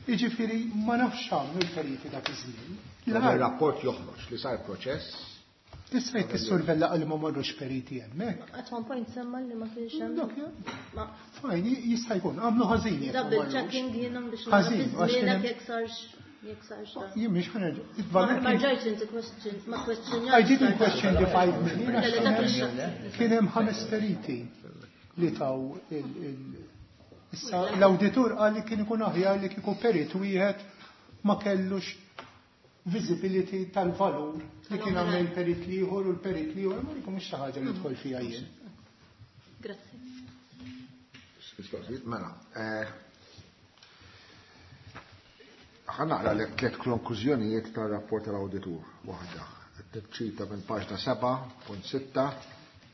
jiġifieri ma nafx għamlu l-periti dak iż-żmien. Dan L-art ir-rapport joħroġ li sar proċess. Tista' tissurvella għal ma marrux periti hemmhekk. At one point semma li ma kienx hemm. Dak ja. Ma Fajn, jista' jkun, għamlu ħażin jekk ma double marrux. Checking jiena biex nara Ħażin, fi għax kien żmienek hemm- jekk sarx jekk sarx dan. Jien mhix ħa nerġa'. Ma Il-valur ma kien- rġajtx inti question, ma questionjajtx. I didn't question the five million għax Le, le, kien dak hemm- ix- kien hemm ħames periti li taw il- il- Issa l-awditur qal li kien ikun aħjar li kieku perit wieħed ma kellux visibility tal-valur li kien għamel perit ieħor u l-perit ieħor, ma dik mhux xi ħaġa li dħol fiha jien. Grazzi. Mistoqsijiet, mela. eh, Ħa naqra l tliet konklużjonijiet tar-rapport tal-awditur. Waħda. Tiċċita minn paġna seba punt sitta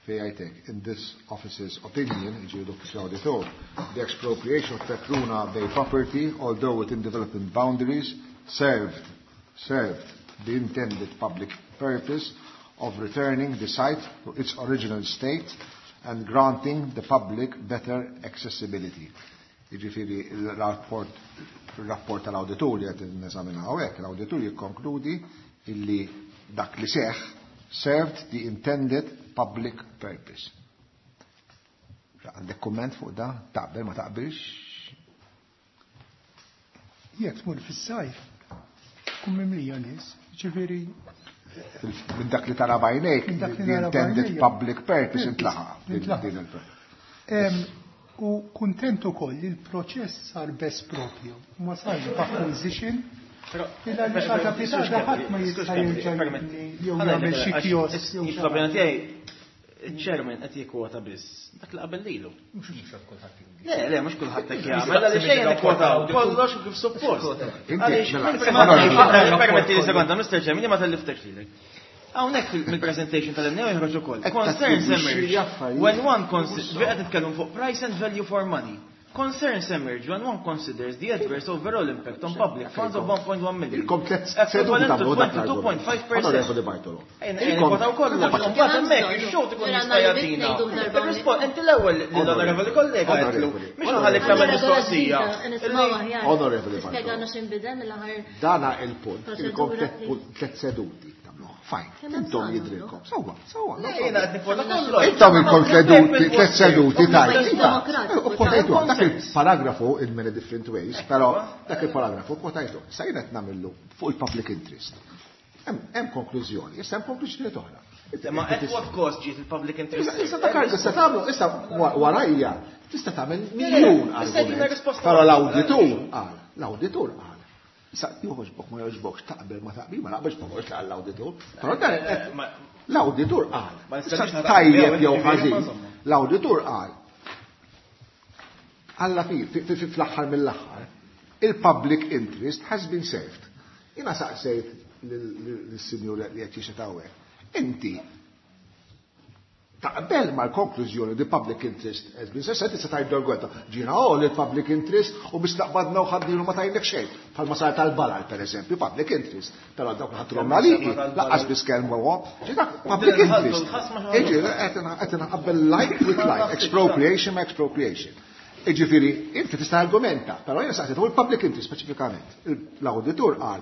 fejn jgħidlek, "In this office's opinion," jiġifieri l-uffiċjal auditor, "the expropriation of Fekruna Bay property, although within development boundaries, served served the intended public purpose of returning the site to its original state and granting the public better accessibility." Jiġifieri il-rapport il-rapport tal-awditur li qed neżaminaw hekk, l-awditur jikkonkludi illi dak li seħ served the intended public purpose. Għandek komment fuq da? Taqbel, ma taqbilx? Jekk tmur fis-sajf, tkun mimlija nies, ġifieri Minn dak li tara b'għajnejk, Minn dak li the nara intended b'għajnejja. Public purpose intlaħaq. Intlaħaq. Din il- Em, U kuntent ukoll li l-proċess sar best propju, ma sarx b'acquisition. Illa li xaġa pitata ħadd ma jista' jerġa' jibni jew jagħmel xi kiosk jew xi Il-problema tiegħi, il-chairman qed jikkwota biss dak li qabel lilu. Le, le, mhux kulħadd hekk jagħmel, għaliex ejja nikkwotaw kollox kif suppost. Inti, Għaliex, mela, permetti li sekonda, Mister Chairman, ma telliftekx lilek. Hawnhekk mill-presentation tal-M N A joħroġ ukoll. Qed Concerns tattribwixxi emerge affarijiet. when one considers, qed nitkellmu fuq price and value for money. Concerns emerge when one considers the adverse overall impact on public funds of one point one million. Ilkom tliet seduti Equivalent to tagħmlu dak l-argument. twenty-two point five percent. Onorevoli Bartolo. Ejn, Ilkom- kwotaw kollox, mbagħad hemmhekk ix-xogħol ikun jista' jagħtina. Ir-rispon inti l-ewwel lill-onorevoli kollega għedtlu, mhux ħallik tagħmel mistoqsija. Onorevoli Bartolo. Tispjegana x'inbidel mill-aħħar Dana il-punt, ilkom proċedura. tliet tliet seduti tagħmluh. Fine, Kemm hemm intom bżonn jidrilkom. Sewwa, sewwa. no Le, problem. jiena qed nikkwota kollox. Intom ilkom seduti, tliet seduti tajt. Pajjiż demokratiku, U kwotajtu dak il-paragrafu in many different ways, però dak il-paragrafu kwotajtu. Sa jiena qed nagħmlu fuq il-public interest. Hemm hemm konklużjoni, issa hemm konklużjoni oħra. Ma at what cost ġiet il-public interest? Issa issa dak tista' tagħmlu, issa warajja tista' tagħmel miljun Tista' jtina argument. risposta. Però l-awditur qal, l-awditur qal. Issa joħoġbok ma joħoġbokx, taqbel ma taqbel, ma naqbelx ma naqbelx l-awditur. Però dan qed- Ma- l-awditur qal. Ma Issa nistax naqbel, tajjeb jew ġifieri, ma ħażin. insomma. L-awditur qal. Alla fi, fi- fi- fi- fl-aħħar mill-aħħar, il-public interest has been served. Jiena saqsejt lill-sinjur li qed jixhed hawnhekk. Inti taqbel mal-konklużjoni the public interest has been served, tista' tgħid dorgweta. Ġina oh il-public interest u bistaqbadna u ħaddilu ma tajlek xejn. Bħalma sar tal-balal per eżempju, public interest. Però dawk ħatrhom għaliki, lanqas biss kelmu huwa. Ġi dak public interest. Iġi qed nqabbel like with like, expropriation ma expropriation. Iġifieri, inti tista' argumenta, però jiena saqsejt fuq il-public interest speċifikament. L-awditur qal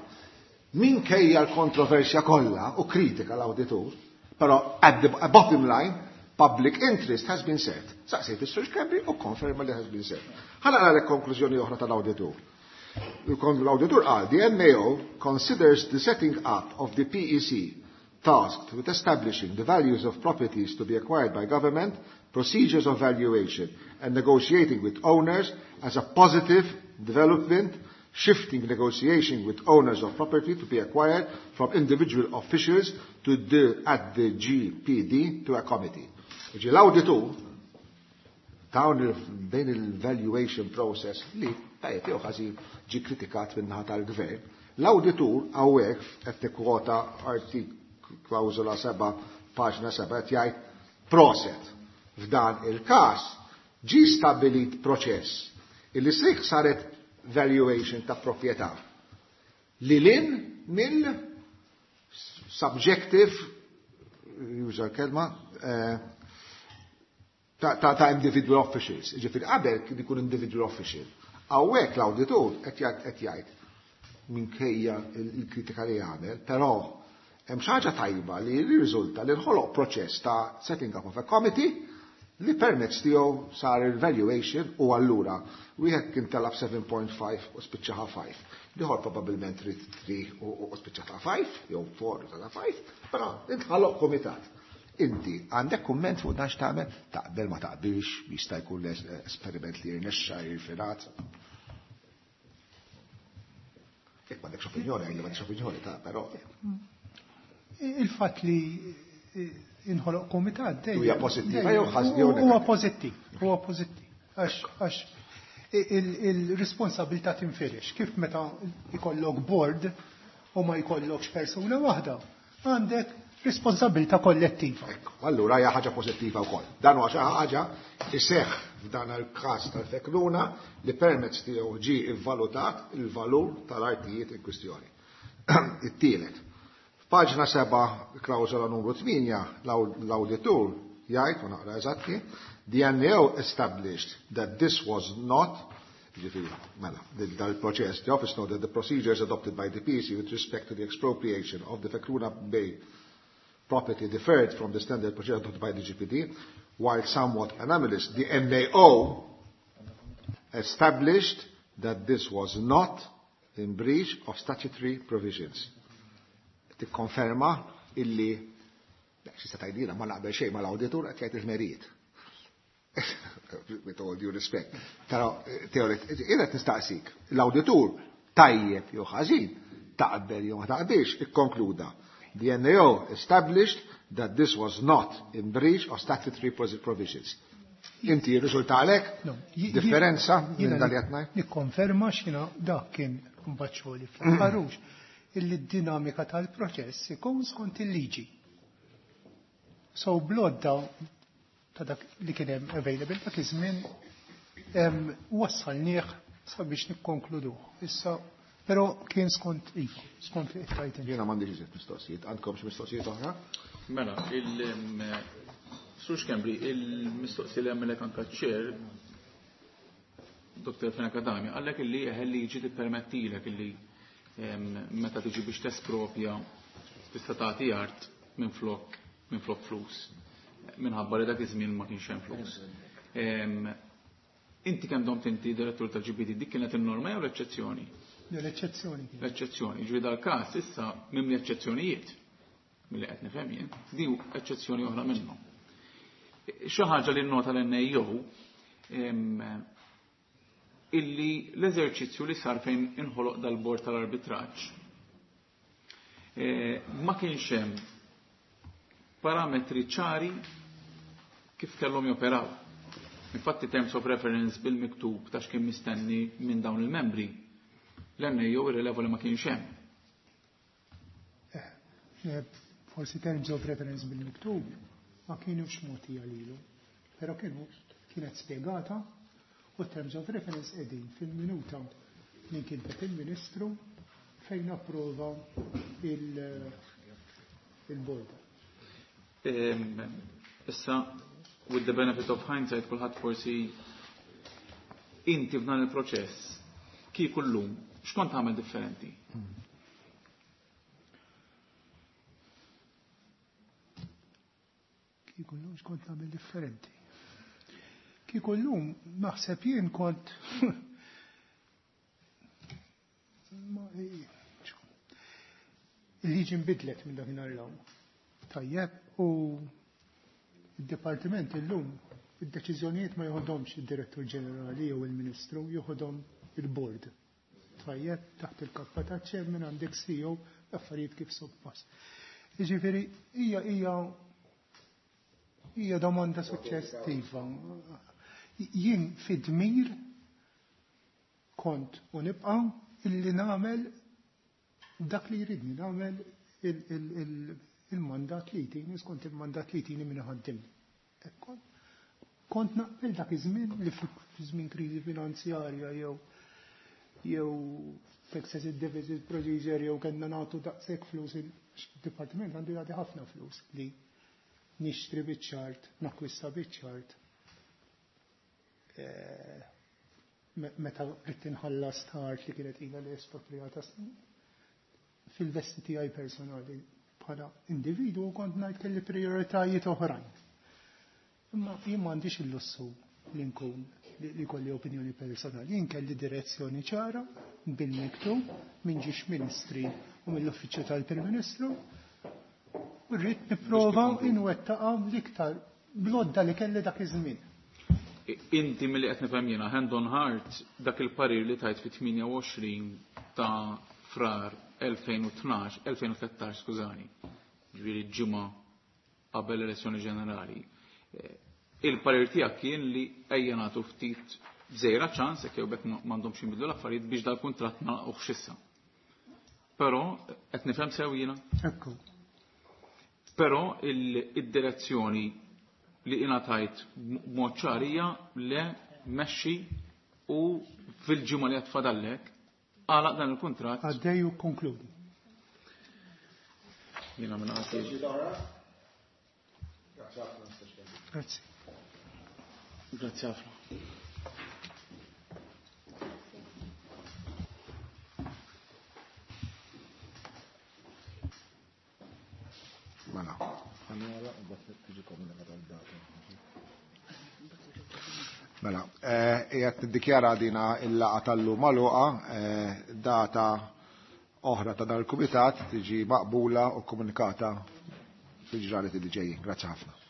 minkejja l-kontroversja kollha u kritika l-awditur, però at the bottom line, Public interest has been served. Saqsejt is-Sur Schembri u konferma li has been served. Ħa naqra konklużjoni oħra tal-awditur. L-awditur qal, the N A O considers the setting up of the P E C tasked with establishing the values of properties to be acquired by government, procedures of valuation, and negotiating with owners as a positive development, shifting negotiation with owners of property to be acquired from individual officials to the, at the G P D to a committee. Ġi l-awditur dawn din il-valuation process li tajjeb jew ħażin ġi kritikat min-naħa tal-gvern. L-awditur hawnhekk qed tikkwota artik klawżola seba' paġna seba' qed jgħid proset. F'dan il-każ ġi stabilit proċess illi sik saret valuation ta' proprjetà li lin mill subjective user kelma eh, ta', ta, ta individual officials. Ġifieri qabel kien ikun individual official. Hawnhekk l-awditur qed jgħid minkejja il-kritika li jagħmel, però hemm xi ħaġa tajba li jirriżulta li nħoloq proċess ta' setting up of a committee li permezz tiegħu sar il-valuation u allura wieħed kien talab seba' punt ħamsa u spiċċaha ħamsa. L-ieħor probabbilment ried tlieta u spiċċaha ħamsa jew erba' ta' ħamsa, però intħoloq komitat. Inti għandek kumment fuq dan x'tagħmel, taqbel ma taqbilx, jista' jkun esperiment li jirnexxa jirfinat. Jekk m'għandekx opinjoni, għajli m'għandekx opinjoni ta' però. Il-fatt li inħoloq komitat dejjem. Huwa pożittiva jew ħażin jew Huwa pożittiv, huwa pożittiv. Għax għax il-responsabilità tinfirex. Kif meta ikollok board u ma jkollokx persuna waħda, għandek responsabilità kollettiva. Ekku, allura hija ħaġa pożittiva wkoll. Dan huwa xi ħaġa iseħħ f'dan il-każ tal-Fekruna li permezz tiegħu ġie ivvalutat il-valur tal-artijiet in kwistjoni. It-tielet. F'paġna seba' klawżola numru tmienja l-awditur jgħid, u naqra eżatti, "The N A O established that this was not", ġifieri, mela, dal-proċess, "the office noted that the procedures adopted by the P E C with respect to the expropriation of the Fekruna Bay property differed from the standard procedure adopted by the G P D, while somewhat anomalous. The N A O established that this was not in breach of statutory provisions." Tikkonferma illi xi tgħidilha ma naqbel xejn mal-awditur qed jgħid il-merijiet. With all due respect. Però teoret, qed nistaqsik, l-awditur tajjeb jew ħażin, taqbel jew ma taqbilx, ikkonkluda. "The N A O established that this was not in breach of statutory provisions." Inti risulta għalek differenza minn dal qed Nikkonferma x'ina dak kien kumbaċċoli fl-ħarux illi d-dinamika tal-proċess ikun skont il-liġi. So blodda ta' dak li kien hemm available dak iż-żmien wassalnieh sabiex nikkonkluduh. Issa però kien skont iva, skont li qed. Jiena m'għandix iżjed mistoqsijiet. Għandkom xi mistoqsijiet oħra? Mela, il Sur Schembri, il-mistoqsija li għamilek anka ċer, Doktor Fenech Adami, għallek illi liġi tippermettilek illi meta tiġi biex tespropja tista' tagħti art minn flok minn flok flus. Minħabba li dak iż-żmien ma kienx hemm flus. Inti kemm domt inti direttur tal-G P D, dik kienet in-norma jew l-eċċezzjoni? L-eċċezzjoni. L-eċċezzjoni. Ġifieri dal-każ issa mimli eċċezzjonijiet milli qed nifhem jien, di eċċezzjoni oħra minnhom. Xi ħaġa li nota l-N A O illi l-eżerċizzju li sar fejn inħoloq dal-bord tal-arbitraġġ eh, ma kienx hemm parametri ċari kif kellhom joperaw. Infatti terms of reference bil-miktub ta' x'kien mistenni minn dawn il-membri l-N A O irrileva li ma kienx hemm. Eh, forsi terms of reference bil-miktub ma kienux mogħtija lilu, però kienu kienet spiegata u terms of reference qegħdin fil-minuta li kien il-Ministru fejn approva il-board. Issa, with the benefit of hindsight, kulħadd forsi inti f'dan il-proċess, kieku llum, x'kont tagħmel differenti? Kieku llum x'kont nagħmel differenti. Kieku llum naħseb jien kont il-liġi nbidlet minn dakinhar 'l hawn. Tajjeb, u id-dipartiment illum id-deċiżjonijiet ma joħodhomx id-direttur ġenerali jew il-ministru, joħodhom il-board. Tajjeb, taħt il-kappa ta' chairman għandek C E O, affarijiet kif suppost. Jiġifieri hija hija hija domanda suċċessiva. Jien fid-dmir kont u nibqa' illi nagħmel dak li jridni nagħmel il-mandat li jtini, skont il-mandat li jtini minn ħaddim. Kont naqbel dak iż-żmien li fi żmien kriżi finanzjarja jew jew excessive deficit procedure jew kellna nagħtu daqshekk flus il-dipartiment għandu jagħti ħafna flus li nixtri biċ-ċart, nakwista biċ-ċart. Meta rrid inħallas tard li kienet ilha li esproprijata snin. Fil-vesti tiegħi personali bħala individwu kont ngħid kelli prioritajiet oħrajn. Imma jien m'għandix il-lussu li nkun li kolli opinjoni personali. Jien kelli direzzjoni ċara bil-miktub minn ġiex ministri u mill-uffiċċju tal-Prim Ministru u rrid nipprova inwettaqha l-iktar blodda li kelli dak iż-żmien. Inti milli qed nifhem jiena hand on heart dak il-parir li tajt fit-tmienja u għoxrin ta' Frar elfejn u tnax, elfejn u tlettax, skużani, ġifieri ġimgħa qabel l-elezzjoni ġenerali. Il-parir tiegħek kien li ejja nagħtu ftit żejra ċans jekk jew bekk m'għandhomx jinbidlu l-affarijiet biex dal-kuntratt nagħlquh issa. Però qed nifhem sew jiena. Ekku. Però id-direzzjoni li ingħatajt b'mod ċar hija le mexxi u fil-ġimgħa li qed fadallek għalaq dan il-kuntratt. Għaddej u konkludi. Jiena minn għati. Grazzi. Grazzi ħafna. Mela, ħanara u mbagħad tiġi komunikata d-data. Mela, qiegħed niddikjara dina il-laqgħa tal-lum magħluqa, data oħra ta' dan il-kumitat tiġi maqbula u komunikata fil-ġranet li ġejjin. Grazzi ħafna.